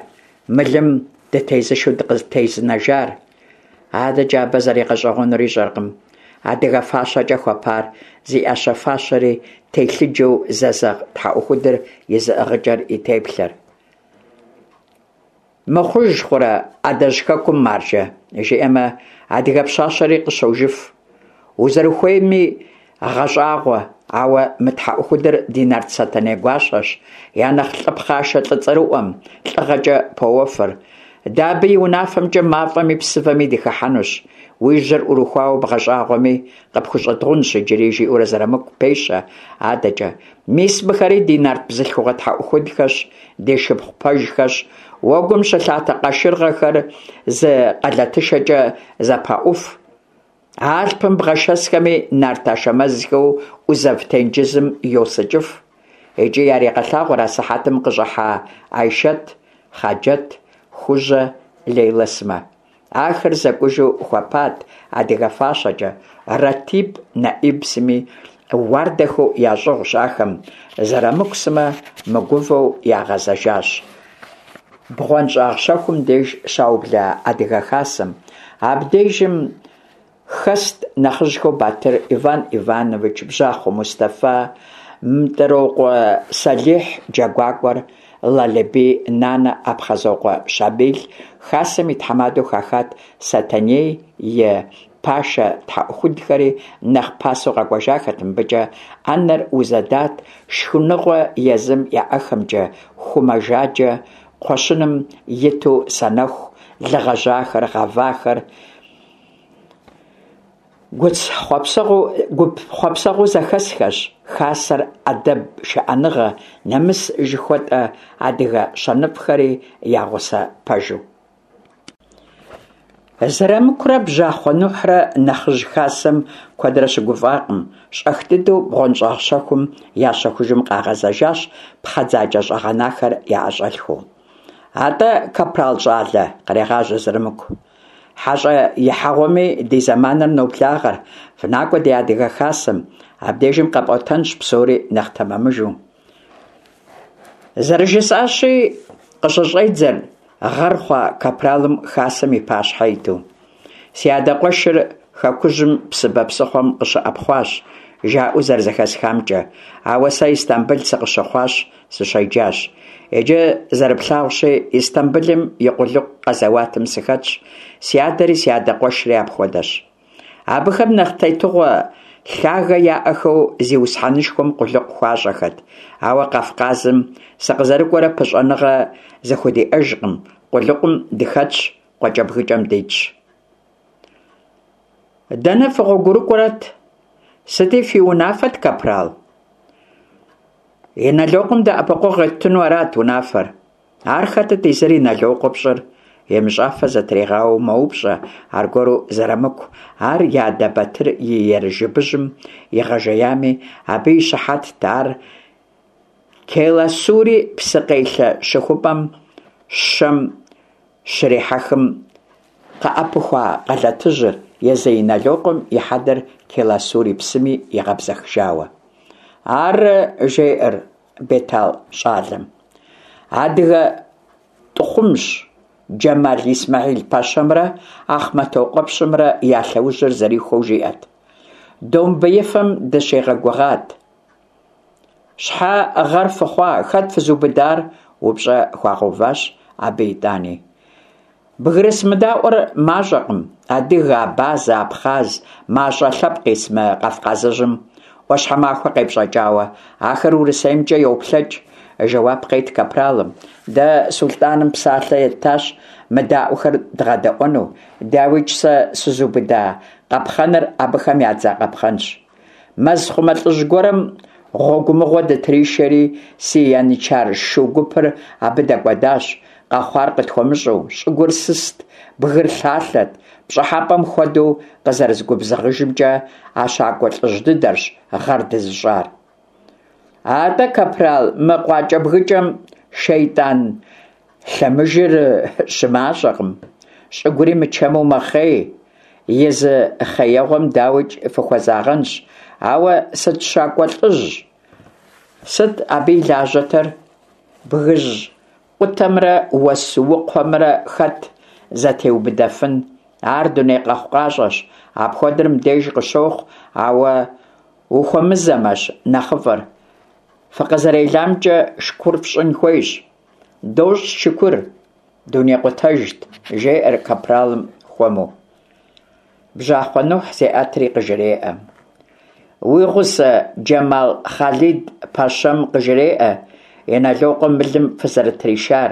мылым дытезышу дыкъытезынэжар. Адэкӏэ абы зэригъэщӏэгъуэнур ищӏэркъым адыгэ фащэкӏэ хуэпар зи ӏэщэ-фащэри телъыджэу зэзэгъ тхьэӏухудыр и зыӏыгъыкӏэр, и теплъэр. Мыхъуж хъурэ адэжь хэкум, маржэ, жиӏэмэ, адыгэ пщащэри къыщожыф. Узэрыхуейми гъэщӏагъуэ, ауэ мы тхьэӏухудыр ди нарт Сэтэней гуащэщ, я нэхъ лӏы пхъашэ лӏы цӏэрыӏуэм, лӏыгъэкӏэ поуэфыр. Дэ абы и унафэмкӏэ мафӏэми псывэми дыхыхьэнущ. Уи жьэр ӏурыхуауэ бгъэщӏагъуэми, къыпхущӏэдгъунщ иджыри, жиӏэурэ Зэрамыку пещэ адэкӏэ. Мис мыхэри ди нарт бзылъхугъэ тхьэӏухудхэщ, ди шыпхъу пэжхэщ, уэгум щылъатэ къашыргъэхэр зы къэлэтышэкӏэ зэпаӏуф. Алъпым бгъэшэсхэми нарт Ашэмэзхэу ӏузэв тенджызым йосыкӏыф. Икӏи ярегъэлъагъур асыхьэтым къыщӏыхьа Айшэт, Хъаджэт, Хужьэ, Лейлэ сымэ. Ахэр зэкӏужу хуэпат адыгэ фащэкӏэ, Ратиб, Нэӏиб сыми уардэхэу ящӏыгъущ ахэм, Зэрамыку сымэ мыгувэу ягъэзэжащ. БгъуэнщӀагъ щэхум деж щаубла адыгэ хасэм. Абдежым хэст нэхъыжьхэу Батыр Иван Иванович, Бжьахъуэ Мустэфа, Мтӏрокъуэ Сэлихь джэгуакӏуэр, Лалэбий Нанэ, Апхъазокъуэ Щамил. Хасэм и тхьэмадэу хахат Сэтэней и пашэ тхьэӏухудхэри нэхъ пасэу къэкӏуэжахэт мыбыкӏэ. ӏэнэр узэдат шхыныгъуэ езым яӏэхэмкӏэ, ху мэжаджэ кхъуэщыным иту санэху, лы гъэжьахэр, гъэвахэр. Гуп хъуэпсэгъуэу зэхэсхэщ хасэр, ӏэдэб, шыӏэныгъэ, нэмыс жыхуэтӏэ адыгэ щэныфӏхэри я гъусэ пэжу. Зэрамыкурэ Бжьахъуэ Нухьрэ нэхъыжь хасэм куэдрэ щыгуфӏакъым, щӏэх дыдэу бгъуэнщӏагъ щэхум я щэхужым къагъэзэжащ, пхъэдзакӏэ щӏэгъэнахэр яӏэщӏэлъхэу. Атӏэ, капрал щӏалэ, кърегъажьэ Зэрамыку, хьэщӏэ ихьэгъуэми ди зэманыр ноблагъэр, фынакӏуэ ди адыгэ хасэм, абдежым къэпӏуэтэнщ псори нэхъ тэмэмыжу. Зэрыжысӏащи, къыщыщӏедзэр гъэр хъуа капралым хасэм и пащхьэ иту. Си адэ къуэшыр хэкужьым Псыбэ псыхъуэм къыщыӀэпхъуащ, жаӀэу зэрызэхэсхамкӀэ, ауэ сэ Истамбыл сыкъыщыхъуащ, сыщеджащ. Иджы зэрыплъагъущи, Истамбылым и къулыкъу къэзэуатым сыхэтщ, си адэри си адэ къуэшри апхуэдэщ. Абыхэм нэхъ тетыгъуэ лъагэ яӀэхэу зиусхьэнышхуэм къулыкъу хуащӀэхэт, ауэ Кавказым сыкъызэрыкӀуэрэ пыщӀэныгъэ зэхудиӀэжкъым, къулыкъум дыхэтщ, къуакӀэбгыкӀэм дитщ. Дэнэ фыгъуэгурыкӀуэрэт? Сыти фи унафэт, капрал? Инэлокъуэм дэӀэпыкъуэгъу еттыну арат унафэр. Ар хэтыт езыр Инэлокъуэ пщӀыр? ЕмыщӀафэ зэтригъауэу мэупщӀэ аргуэру Зэрамыку, ар и адэ Батыр и ерыжыбыжьым игъэжеями, абы и щыхьэтт ар Келасури псыкъелъэ щыхупӀэм щэм щрихьэхым къыӀэпыхуа къалэтыжьыр, езы Инэлокъуэм и хьэдэр Келасури псыми игъэбзэхыжауэ. Ар, жеӀэр Бетал щӀалэм, адыгэ тӀыхъумщ, Джэмал Исмэхьил-пэщэмрэ Ахъмэтокъуэпщымрэ я лъэужьыр зэрихуэу жиӀэт. Домбеифэм дыщигъэгугъат. Щхьэ гъэр фыхъуа, хэт фызубыдар? упщӀэ хуагъэуващ абы итӀани. Бгырыс мыдаӀуэр мащӀэкъым: адыгэ, абазэ, абхъаз, мащӀэ лъэпкъ ис мы Кавказыжьым, Ӏуащхьэмахуэ къепщӀэкӀауэ. Ахэр УрысеймкӀэ йоплъэкӀ, жэуап къет капралым. Дэ сулътӀаным псалъэ еттащ мыдаӀуэхэр дгъэдэӀуэну. ДауикӀ, сэ сызубыда къапхъэныр абыхэм ядза къапхъэнщ. Мэзхъумэ лӀыжь гуэрым гъуэгумыгъуэ дытришэри, си янычар шу гупыр абы дэкӀуэдащ, къэхъуар къытхуэмыщӀэу. ЩӀыгур сыст, бгыр лъалъэт. ПщӀыхьэпӀэм хуэдэу къызэрызгубзыгъыжымкӀэ, а щакӀуэ лӀыжь дыдэрщ гъэр дызыщӀар. АтӀэ, капрал, мы къуакӀэбгыкӀэм шейтӀан лъэмыжыр щымащӀэкъым. ЩӀыгури мычэму мэхъей. И зы хъеегъуэм, дауикӀ, фыхуэзагъэнщ. Ауэ сыт щакӀуэ лӀыжь? Сыт абы и лажьэтэр? Бгыжь къутэмрэ уэс укхъуэмрэ хэт зэтеубыдэфын? Ар дуней къэхъукъащӀэщ. Апхуэдэр мыбдеж къыщохъу, ауэ ухуэмызэмэщ нэхъыфӀыр. ФыкъызэреламкӀэ шыкур фщӀын хуейщ. ДощӀ шыкур, дунейкъутэжт, жеӀэр капралым хуэму. Бжьахъуэ Нухь зеӀэтри къыжреӀэ: Уи гъусэ Джэмал Хъалид-пэщэм къыжреӀэ Инэлокъуэм мылым фызэрытришар,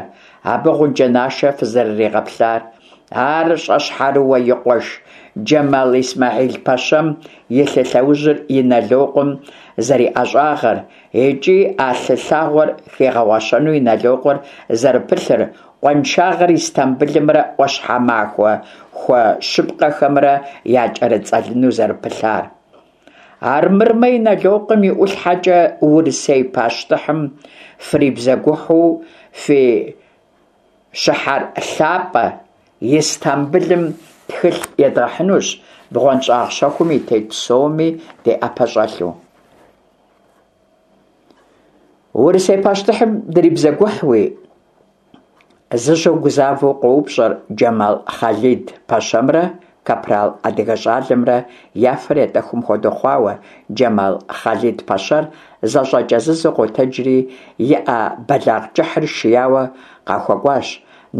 абы гъунджэ нашэ фызэрыригъэплъар, ар щӀэщхьэрыуэ и къуэш Джэмал Исмэхьил-пэщэм и лъы лъэужьыр Инэлокъуэм зэриӀэщӀагъэр икӀи а лъы лъагъуэр хигъэгъуэщэну Инэлокъуэр зэрыпылъыр, къуаншагъэр Истамбылымрэ Ӏуащхьэмахуэ хуэщыпкъэхэмрэ якӀэрыцӀэлыну зэрыпылъар. Армырмэ, Инэлокъуэм и ӀулъхьэкӀэ Урысей пащтыхьым фрибзэгухьу фи щыхьэр лъапӀэ Истамбылым тхылъ едгъэхьынущ, бгъуэнщӀагъ щэхум и тет псоми ди Ӏэпэ щӀэлъу. Урысей пащтыхьым дрибзэгухьуи? Зыжьэу гузавэу къоупщӀэр Джэмал Хъалид-пэщэмрэ капрал адыгэ щӀалэмрэ я фэр етӀэхум хуэдэу хъуауэ, Джэмал Хъалид-пэщэр зэщӀэкӀэзызэу къотэджри, и Ӏэ бэлагъ кӀыхьыр шияуэ къахуэкӀуащ.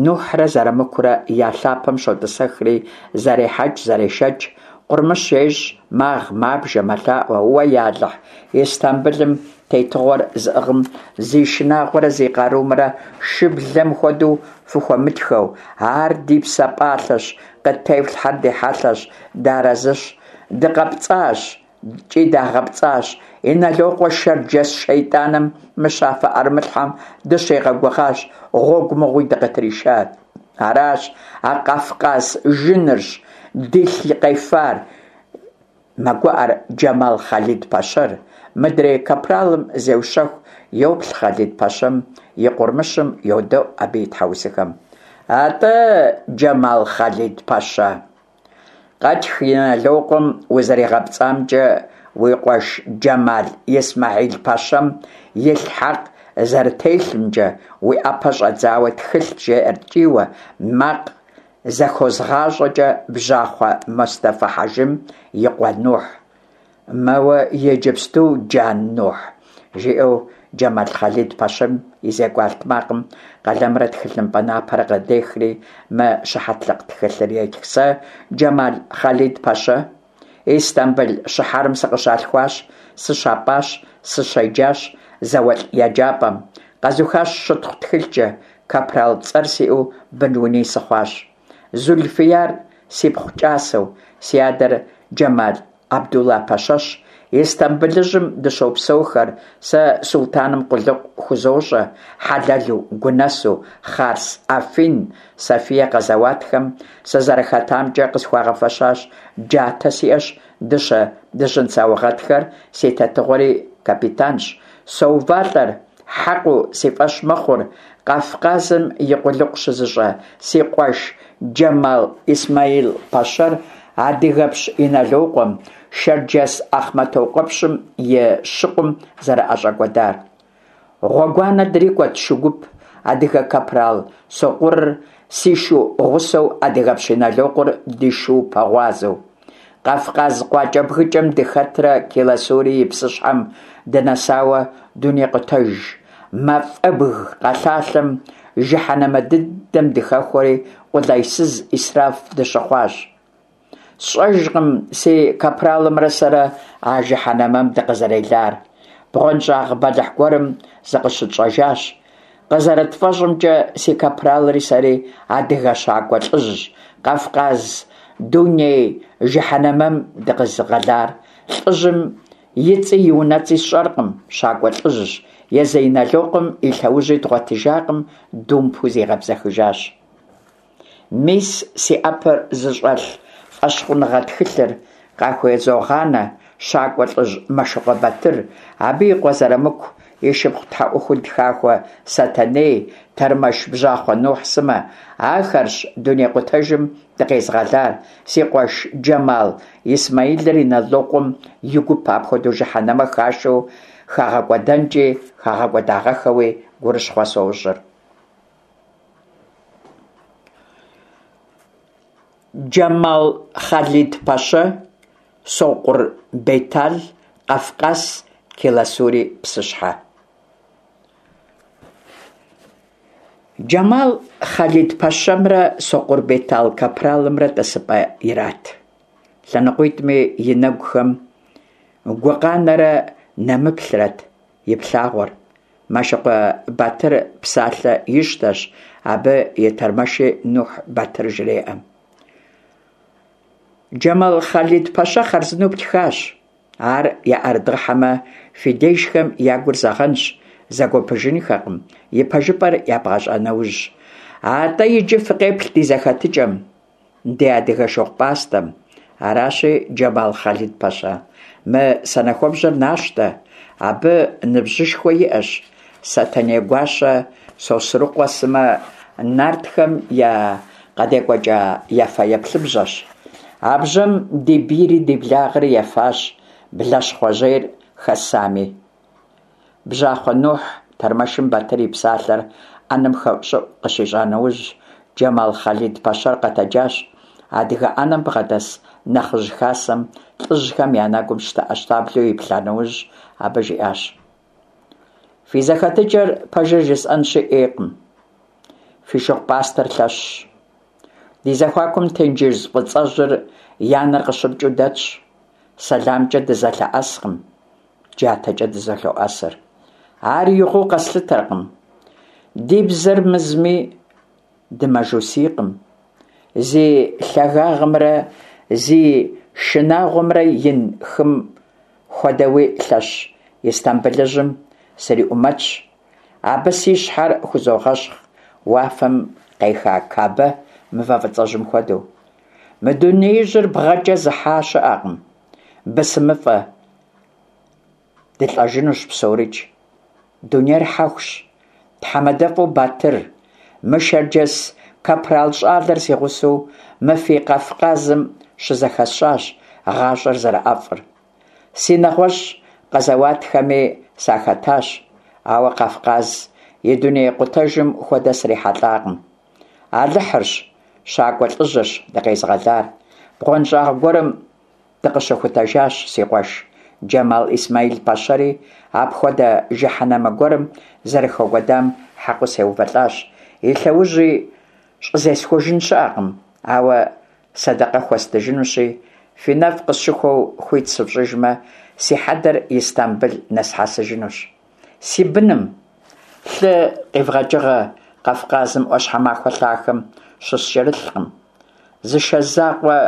Нухьрэ Зэрамыкурэ я лъапэм щотӀысэхри, зэрехьэкӀ-зэрешэкӀ, къурмыщ ещӀ, магъ, мабжэ, мэлъаӀуэ: «Уэ, я Алыхь, Истамбылым тетыгъуэр зыӀыгъым зи шынагъуэрэ зи къарумрэ шыблэм хуэдэу фыхуэмытхэу, ар ди псэ пӀалъэщ, къыттефлъхьэр ди хьэлъэщ, дыарэзыщ, дыкъэпцӀащ икӀи дагъэпцӀащ, Инэлокъуэ шэрджэс шейтӀаным мыщафэ Ӏэрымылъхьэм дыщигъэгугъащ, гъуэгу мыгъуи дыкъытришат. Аращ, а къэфкъас жынырщ дилъ къефар, мэгуӀэр Джэмал Хъалид-пэщэр. Мыдрей капралым зеущэху, йоплъ Хъалид-пэщэм и къурмыщым, йодэӀу абы и тхьэусыхэм. АтӀэ, Джэмал Хъалид-пэщэ, къэтх Инэлокъуэм узэригъэпцӀамкӀэ уи къуэш Джэмал Исмэхьил-пэщэм илъ хьэкъ зэрытелъымкӏэ, уи ӏэпэ щӏэдзауэ тхылът, жеӏэр ткӏийуэ, макъ зэхозгъащӏэкӏэ Бжьахъуэ Мустэфа-хьэжым и къуэ Нухь. Мэуэ иджыпсту, Джан Нухь, жиӏэу Джэмал Хъалид-пэщэм и зекӏуэ алътмакъым къалэмрэ тхылъымпӏэ напэрэ къыдехри, мы щыхьэтлыкъ тхылъыр етх. Сэ, Джэмал Хъалид-пэщэ, Истамбыл щыхьэрым сыкъыщалъхуащ, сыщапӏащ, сыщеджащ зауэлӏ еджапӏэм. Къэзухащ щытхъу тхылъкӏэ, капрал цӏэр сиӏэу бын-уни сыхъуащ. Зульфияр сипхъу кӏасэу, си адэр Джэмал Абдулла-пэщэщ. Истамбылыжьым дыщопсэухэр, сэ султаным къулыкъу хузощӏэ, хьэлэлу, гунэсу, Хъарс, Афин, Софие къэзэуатхэм сызэрыхэтамкӏэ къысхуагъэфэщащ, джатэ сиӏэщ, дыщэ, дыжьын саугъэтхэр, си тетыгъуэри капитанщ. Соувалӏэр, хьэкъыу си фӏэщ мэхъур, Къафкъазым и къулыкъу щызыщӏэ си къуэш Джэмал Исмаил-пэщэр адыгэпщ Иналокъуэм, шэрджэс Ахъмэтокъуэпщым и щыкъум зэрыӏэщӏэкӏуэдар. Гъуэгуанэ дрикӏуэт шу гуп, адыгэ капрал Сокъурыр си шу гъусэу, адыгэпщ Иналокъуэр ди шу пэгъуазэу. Къафкъаз къуакӏэбгыкӏэм дыхэтрэ Келасури и псыщхьэм дынэсауэ дунейкъутэж мафӏэбг къэлъалъэм жыхьэнэмэ дыдэм дыхэхуэри къулайсыз ӏисраф дыщыхъуащ. Сщӏэжкъым си капралымрэ сэрэ а жыхьэнэмэм дыкъызэрелар. Бгъуэнщӏагъ бэлыхь гуэрым зыкъыщытщӏэжащ. Къызэрытфӏэщӏымкӏэ, си капралри сэри адыгэ щакӏуэ лӏыжь, Къафкъаз дуней жыхьэнэмэм дыкъезыгъэлар. Лӏыжьым и цӏи и унэцӏи сщӏэркъым, щакӏуэ лӏыжьщ, езы Иналокъуэм и лъэужьи дгъуэтыжакъым, думпу зигъэбзэхыжащ. Мис си ӏэпэр зыщӏэлъ фӏэщхъуныгъэ тхылъыр къахузогъанэ щакӏуэ лӏыжь Мэшыкъуэ Батыр, абы и къуэ Зэрамыку, и шыпхъу тхьэӏухуд хахуэ Сэтэней, тэрмэш Бжьахъуэ Нухь сымэ. Ахэрщ дунейкъутэжым дыкъезыгъэлар. Си къуэш Джэмал Исмаилыр Иналокъуэм и гуп апхуэдэу жыхьэнэмэ хашэу хагъэкӏуэдэнкӏи хагъэкӏуэдагъэххэуи гурыщхъуэ сощӏыр. Джэмал Хъалид-пэщэ, Сокъур Бетал, Къафкъас, Келасури псыщхьэ. Джэмал Хъалид-пэщэмрэ Сокъур Бетал капралымрэ тӏысыпӏэ ират. Лъэныкъуитӏми и нэгухэм гукъанэрэ нэмыплърэт иплъагъуэр. Мэшыкъуэ Батыр псалъэ ищтэщ, абы и тэрмэши Нухь Батыр жреӏэ. Джэмал Хъалид-пэщэ хъарзынэу птхащ. Ар яӏэрыдгъэхьэмэ, фи дежхэм я гур зэгъэнщ, зэгуэпыжынхэкъым, и пэжыпӏэр ябгъэщӏа нэужь. Атӏэ иджы фыкъеплъ ди зэхэтыкӏэм, ди адыгэ шыгъупӏастэм. Аращи, Джэмал Хъалид-пэщэ, мы санэхуэбжьэр нащтэ, абы ныбжьышхуэ иӏэщ. Сэтэней гуащэ, Сосрыкъуэ сымэ нартхэм я къадекӏуэкӏа я фэеплъыбжьэщ. А бжьэм ди бийри ди благъэри ефащ, блащхъуэжьейр хэсами. Бжьахъуэ Нухь тэрмэшым Батыр и псалъэр ӏэнэм хэӏущӏыӏу къыщищӏа нэужь, Джэмал Хъалид-пэщэр къэтэджащ. Адыгэ ӏэнэм бгъэдэс нэхъыжь хасэм лӏыжьхэм я нэгум щтэӏэщтаблэу иплъа нэужь, абы жиӏащ. Фи зэхэтыкӏэр пэжыр жысӏэнщи ӏейкъым. Фи шыгъупӏастэр лъэщщ. Ди зэхуакум тенджыз фӏыцӏэжьыр я нэр къыщыпкӏыу дэтщ. Сэламкӏэ дызэлъэӏэскъым, джатэкӏэ дызэлъоӏэсыр. Ар игъуэу къэслъытэркъым. Ди бзэр мызми, дымажусийкъым. Зи лъагагъымрэ зи шынагъуэмрэ ин хым хуэдэуи лъэщ Истамбылыжьым сриӏумэтщ. Абы си щхьэр хузогъэщхъ, уафэм къеха Кабэ мывэ фӏыцӏэжьым хуэдэу. Мы дунеижьыр бгъэкӏэ зыхьа щыӏэкъым. Бысымыфӏэ дылӏэжынущ псорикӏ. Дунейр хьэхущ. Тхьэмадэфӏу Батыр, мы шэрджэс капрал щӏалэр си гъусэу мы фи Къафкъазым щызэхэсщӏащ гъащӏэр зэрыӏэфӏыр. Си нэгъуэщӏ къэзэуатхэми сахэтащ, Ауэ Къафкъаз и дуней къутэжым хуэдэ срихьэлӀакъым. Алыхьырщ, щакӀуэ лӀыжьырщ дыкъезыгъэлар. БгъуэнщӀагъ гуэрым дыкъыщыхутэжащ, си къуэш Джэмал Исмаил-пэщэри апхуэдэ жыхьэнэмэ гуэрым зэрыхэкӀуэдам хьэкъыу сеувэлӀащ, и лъэужьи щӀызесхужын щыӀэкъым, ауэ сэдэкъэ хуэстыжынущи, фи нэфӀ къысщыхуэу хуит сыфщӀыжмэ, си хьэдэр Истамбыл нэсхьэсыжынущ. Си быным лъы къивгъэкӀыгъэ Къафкъазым Ӏуащхьэмахуэ лъахэм щыскӀэрылъкъым. Зы шэ закъуэ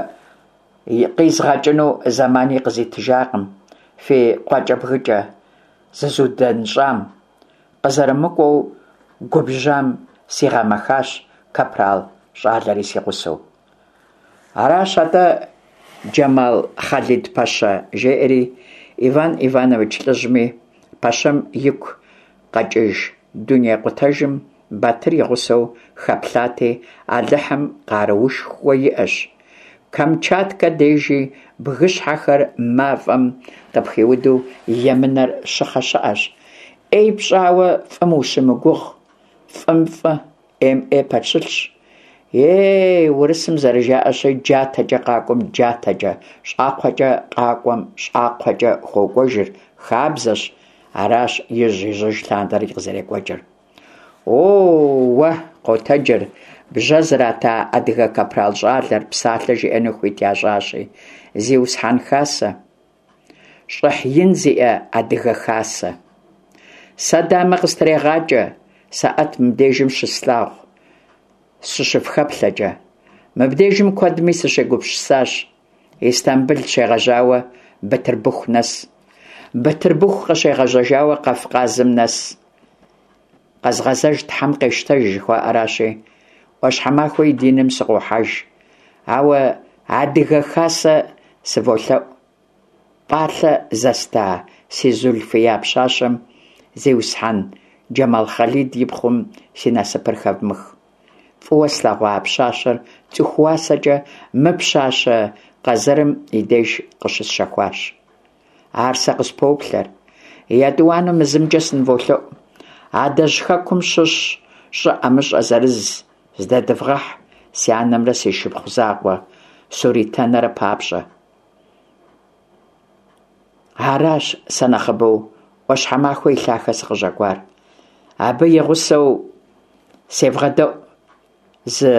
къизгъэкӀыну зэмани къызитыжакъым фи къуакӀэбгыкӀэ зызудэнщӀам. КъызэрымыкӀуэу губжьам сигъэмэхащ капрал щӀалэри си гъусэу. Аращ атӀэ, Джэмал Хъалид-пэщэ, жеӀэри Иван Иванович лӀыжьми, пэщэм игу къэкӀыж дуней къутэжым Батыр и гъусэу хэплъати, Алыхьым къаруушхуэ иӀэщ. Камчаткэ дежи бгыщхьэхэр мафӀэм къыпхиуду емынэр щыхъэ щыӀэщ. Ӏей пщӀауэ фӀым ущымыгугъ, фӀым фӀы, Ӏейм Ӏей пэщылъщ. Ей, урысым зэрыжаӀэщи, джатэкӀэ къакӀуэм джатэкӀэ, щӀакхъуэкӀэ къакӀуэм щӀакхъуэкӀэ хуокӀуэжыр хабзэщ, аращ ижь-ижьыж лъандэрэ къызэрекӀуэкӀыр. О-уэ, къотэджыр бжьэ зрата адыгэ капрал щӀалэр, псалъэ жиӀэну хуит ящӀащи. Зиусхьэн хасэ, щӀыхь ин зиӀэ адыгэ хасэ. Сэ дамэ къыстрегъакӀэ, сэӀэт мыбдежым щыслъагъу сыщыфхэплъэкӀэ. Мыбдежым куэдми сыщегупсысащ. Истамбыл щегъэжьауэ Бытырбыху нэс. Бытырбыху къыщегъэжьэжауэ Къафкъазым нэс. Къэзгъэзэж Тхьэм къещтэж жыхуаӀэращи, Ӏуащхьэмахуэ и диным сыкъохьэж. Ауэ адыгэ хасэ сыволъэӀу. ПӀалъэ зэста си Зулфия пщащэм, зиусхьэн Джэмал Хъалид и пхъум, си насыпыр хэвмых. ФӀыуэ слъэгъуа пщащэр цӀыху уасэкӀэ мы пщащэ къэзэрым и деж къыщысщэхуащ. Ар сэ къыспоплъэр. ЕтӀуанэу мы зымкӀэ сыныволъэӀу. Адэжь хэкум щыщ щӀы ӀэмыщӀэ зырыз здэдывгъэхь си анэмрэ си шыпхъу закъуэ Суритэнэрэ папщӀэ. Аращ сэ нэхъыбэу Ӏуащхьэмахуэ и лъахэ сыкъыщӀэкӀуар. Абы и гъусэу севгъэдэӀу зы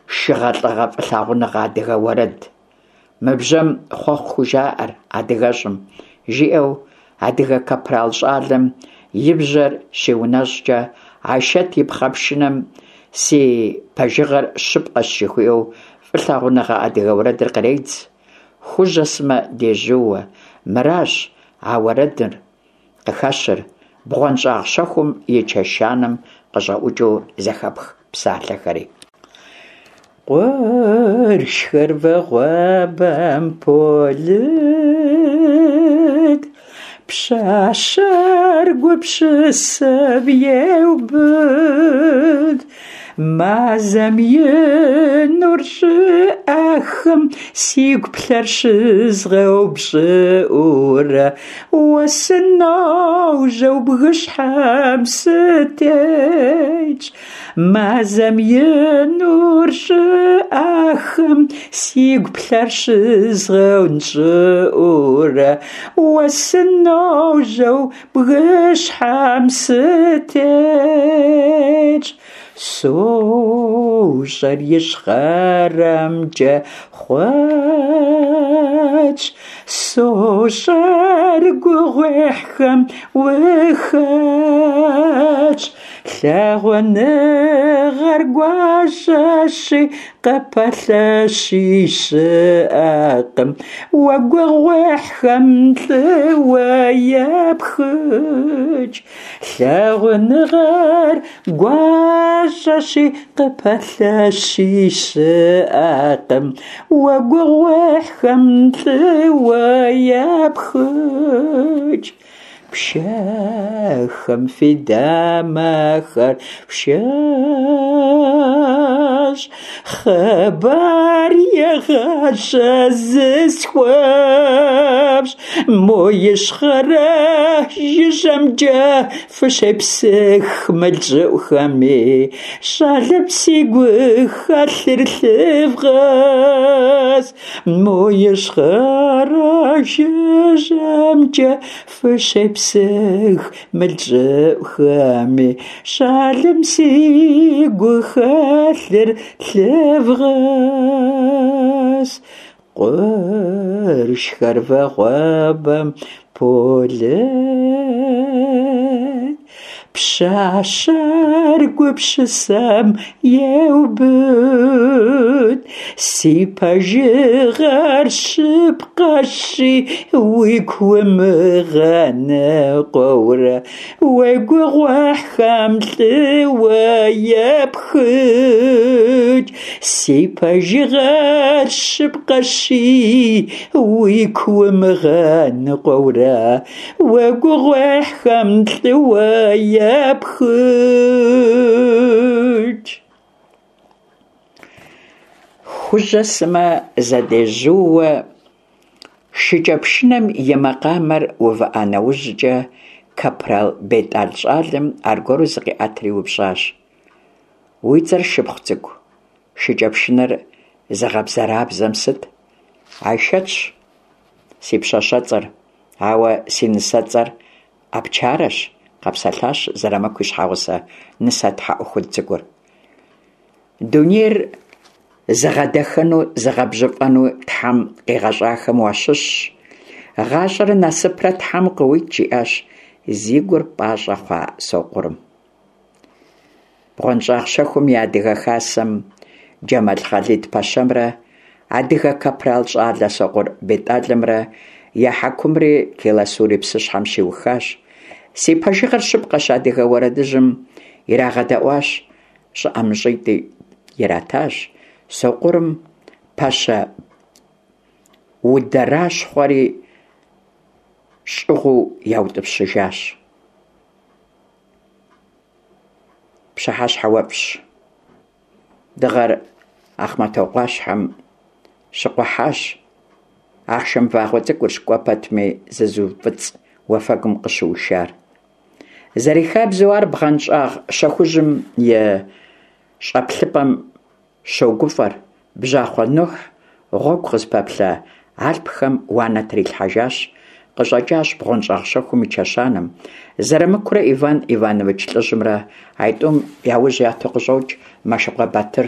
шыгъэ-лӀыгъэ фӀылъагъуныгъэ адыгэ уэрэд. Мы бжьэм хъуэхъу хужаӀэр адыгэщӀым, жиӀэу адыгэ капрал щӀалэм и бжьэр щиунэщӀкӀэ, Айшэт и пхъэпшынэм си пэжыгъэр щыпкъэщ жыхуиӀэу фӀылъагъуныгъэ адыгэ уэрэдыр къредз. Хужьэ сымэ дежьууэ. Мыращ а уэрэдыр къыхэщыр, бгъуэнщӀагъ щэхум и чэщанэм къыщӀэӀукӀыу зэхэпх псалъэхэри. Къуршхэр вагъуэбэм полыд, пщащэр гупсысэм еубыд. Мазэм и нур щӀыӀэхэм сигу плъэр щызгъэупщӀыӀурэ, уэ сыножьэу бгыщхьэм сытетщ. Мазэм и нур щӀыӀэхэм сигу плъэр щызгъэунщӀыӀурэ, уэ сыножьэу бгыщхьэм сытетщ. СощӀэр ищхъэрэмкӀэ хъуэтщ, сощӀэр гугъуехьхэм ухэтщ. Лъагъуныгъэр гуащӀэщи, къыпэлъэщи щыӀэкъым. Уэ гугъуехьхэм лӀыуэ япхыкӀ. Лъагъуныгъэр гуащӀэщи, къыпэлъэщи щыӀэкъым. Уэ гугъуехьхэм лӀыуэ япхыкӀ. Пшэхэм фи дамэхэр пшэщ, Хъыбар егъащӏэ зысхуэфщӏ. Мо ищхъэрэ жыжьэмкӏэ фыщепсых мыл щӏыӏухэми, Щӏалэм си гухэлъыр лъывгъэс. Мо ищхъэрэ жыжьэмкӏэ фыщепсых мыл щӏыӏухэми, Щӏалэм си гухэлъыр лъывгъэс. Къуршхэр вагъуэбэм полыд, Пщащэр гупсысэм еубыд. Си пэжыгъэр щыпкъэщи, уигу умыгъэныкъуэурэ, Уи гугъуехьхэм лӏыуэ епхыкӏ. Си пэжыгъэр щыпкъэщи, уигу умыгъэныкъуэурэ, Уи гугъуехьхэм лӏыуэ епхыкӏ. Хужьэ сымэ зэдежьууэ шыкӀэпшынэм и макъамэр увыӀа нэужькӀэ, капрал БетӀал щӀалэм аргуэру зыкъиӀэтри еупщӀащ: - Уи цӀэр, шыпхъу цӀыкӀу, шыкӀэпшынэр зыгъэбзэрабзэм сыт? - Айшэтщ си пщащэцӀэр, ауэ си нысэцӀэр Апчарэщ, - къэпсэлъащ Зырамыку и щхьэгъусэ нысэ тхьэӀухуд цӀыкӀур. Дунейр зыгъэдэхэну, зыгъэбжьыфӀэну Тхьэм къигъэщӀахэм уащыщщ. ГъащӀэрэ насыпрэ Тхьэм къыуит, - жиӀащ зи гур пӀащӀэ хъуа Сокъурым. БгъуэнщӀагъ щэхум и адыгэ хасэм Джэмал Хъалид-пэщэмрэ адыгэ капрал щӀалэ Сокъур БетӀалымрэ я хьэкумри Келасури псыщхьэм щиухащ. «Си пэжыгъэр щыпкъэщ» адыгэ уэрэдыжьым ирагъэдэӀуащ, щӀы ӀэмыщӀитӀи иратащ, Сокъурым пэщэ удэращхъуэри щӀыгъуу яутӀыпщыжащ. Пщыхьэщхьэ уэфӀщ. Дыгъэр Ахъмэтау Ӏуащхьэм щыкъухьащ. Ахъшэм вагъуэ цӀыкӀурщ кӀуэ пэтми зызыуфӀыцӀ уафэгум къыщыушар. Зэрихабзэу ар бгъуэнщӀагъ щэхужьым и щӀэплъыпӀэм щогуфӀэр. Бжьахъуэ Нухь гъуэгу къызыпэплъэ алъпхэм уанэ трилъхьэжащ, къыщӀэкӀащ бгъуэнщӀагъ щэхум и чэщанэм. Зэрымыкурэ Иван Иванович лӀыжьымрэ а тӀум я ужь яту къыщӀокӀ Мэшыкъуэ Батыр,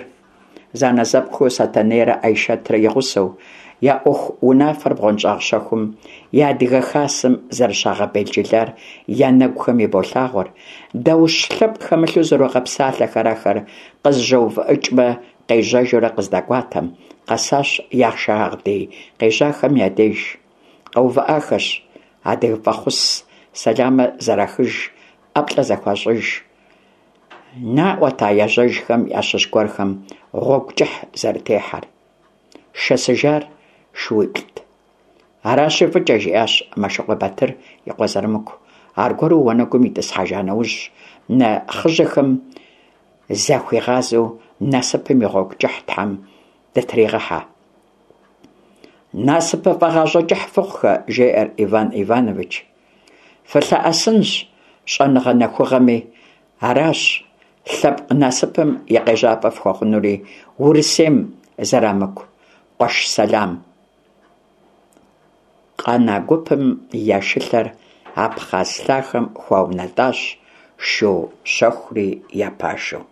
зэанэзэпхъухэу Сэтэнейрэ Айшэтрэ и гъусэу. Я Ӏуэху унафэр бгъуэнщӀагъ щэхум и адыгэ хасэм зэрыщагъэбелджылар я нэгухэм иболъагъуэр. Даущ лъэпкъ хэмылъу зэрогъэпсалъэхэр ахэр, къызэщӀэувыӀыкӀмэ, къежьэжурэ къыздэкӀуатэм. Къэсащ я шагъдий къежьахэм я деж. КъэувыӀахэщ, адыгэ фӀэхъус сэламыр зэрахыж, ӀэплӀэ зэхуащӀыж. НаӀуэт а ежьэжхэм ящыщ гуэрхэм гъуэгу кӀыхь зэрытехьэр. Шэсыжар шууиплӀт. Аращи, фӀыкӀэ, – жиӀащ Мэшыкъуэ Батыр и къуэ Зэрымыку, аргуэру уанэгум итӀысхьэжа нэужь, нэхъыжьхэм захуигъазэу: Насыпым и гъуэгу кӀыхь Тхьэм дытригъыхьэ. НасыпыфӀэ гъащӀэ кӀыхь фыхъухэ, – жеӀэр Иван Иванович. ФылъэӀэсынщ щӀэныгъэ нэхугъэми, аращ лъэпкъ насыпым и къежьапӀэ фхуэхъунури. Урысейм, Зэрамыку, къуэш сэлам! Къэна гупым я шылъэр Абхъаз лъахэм хуаунэтӀащ, шу щэхури я пашэу.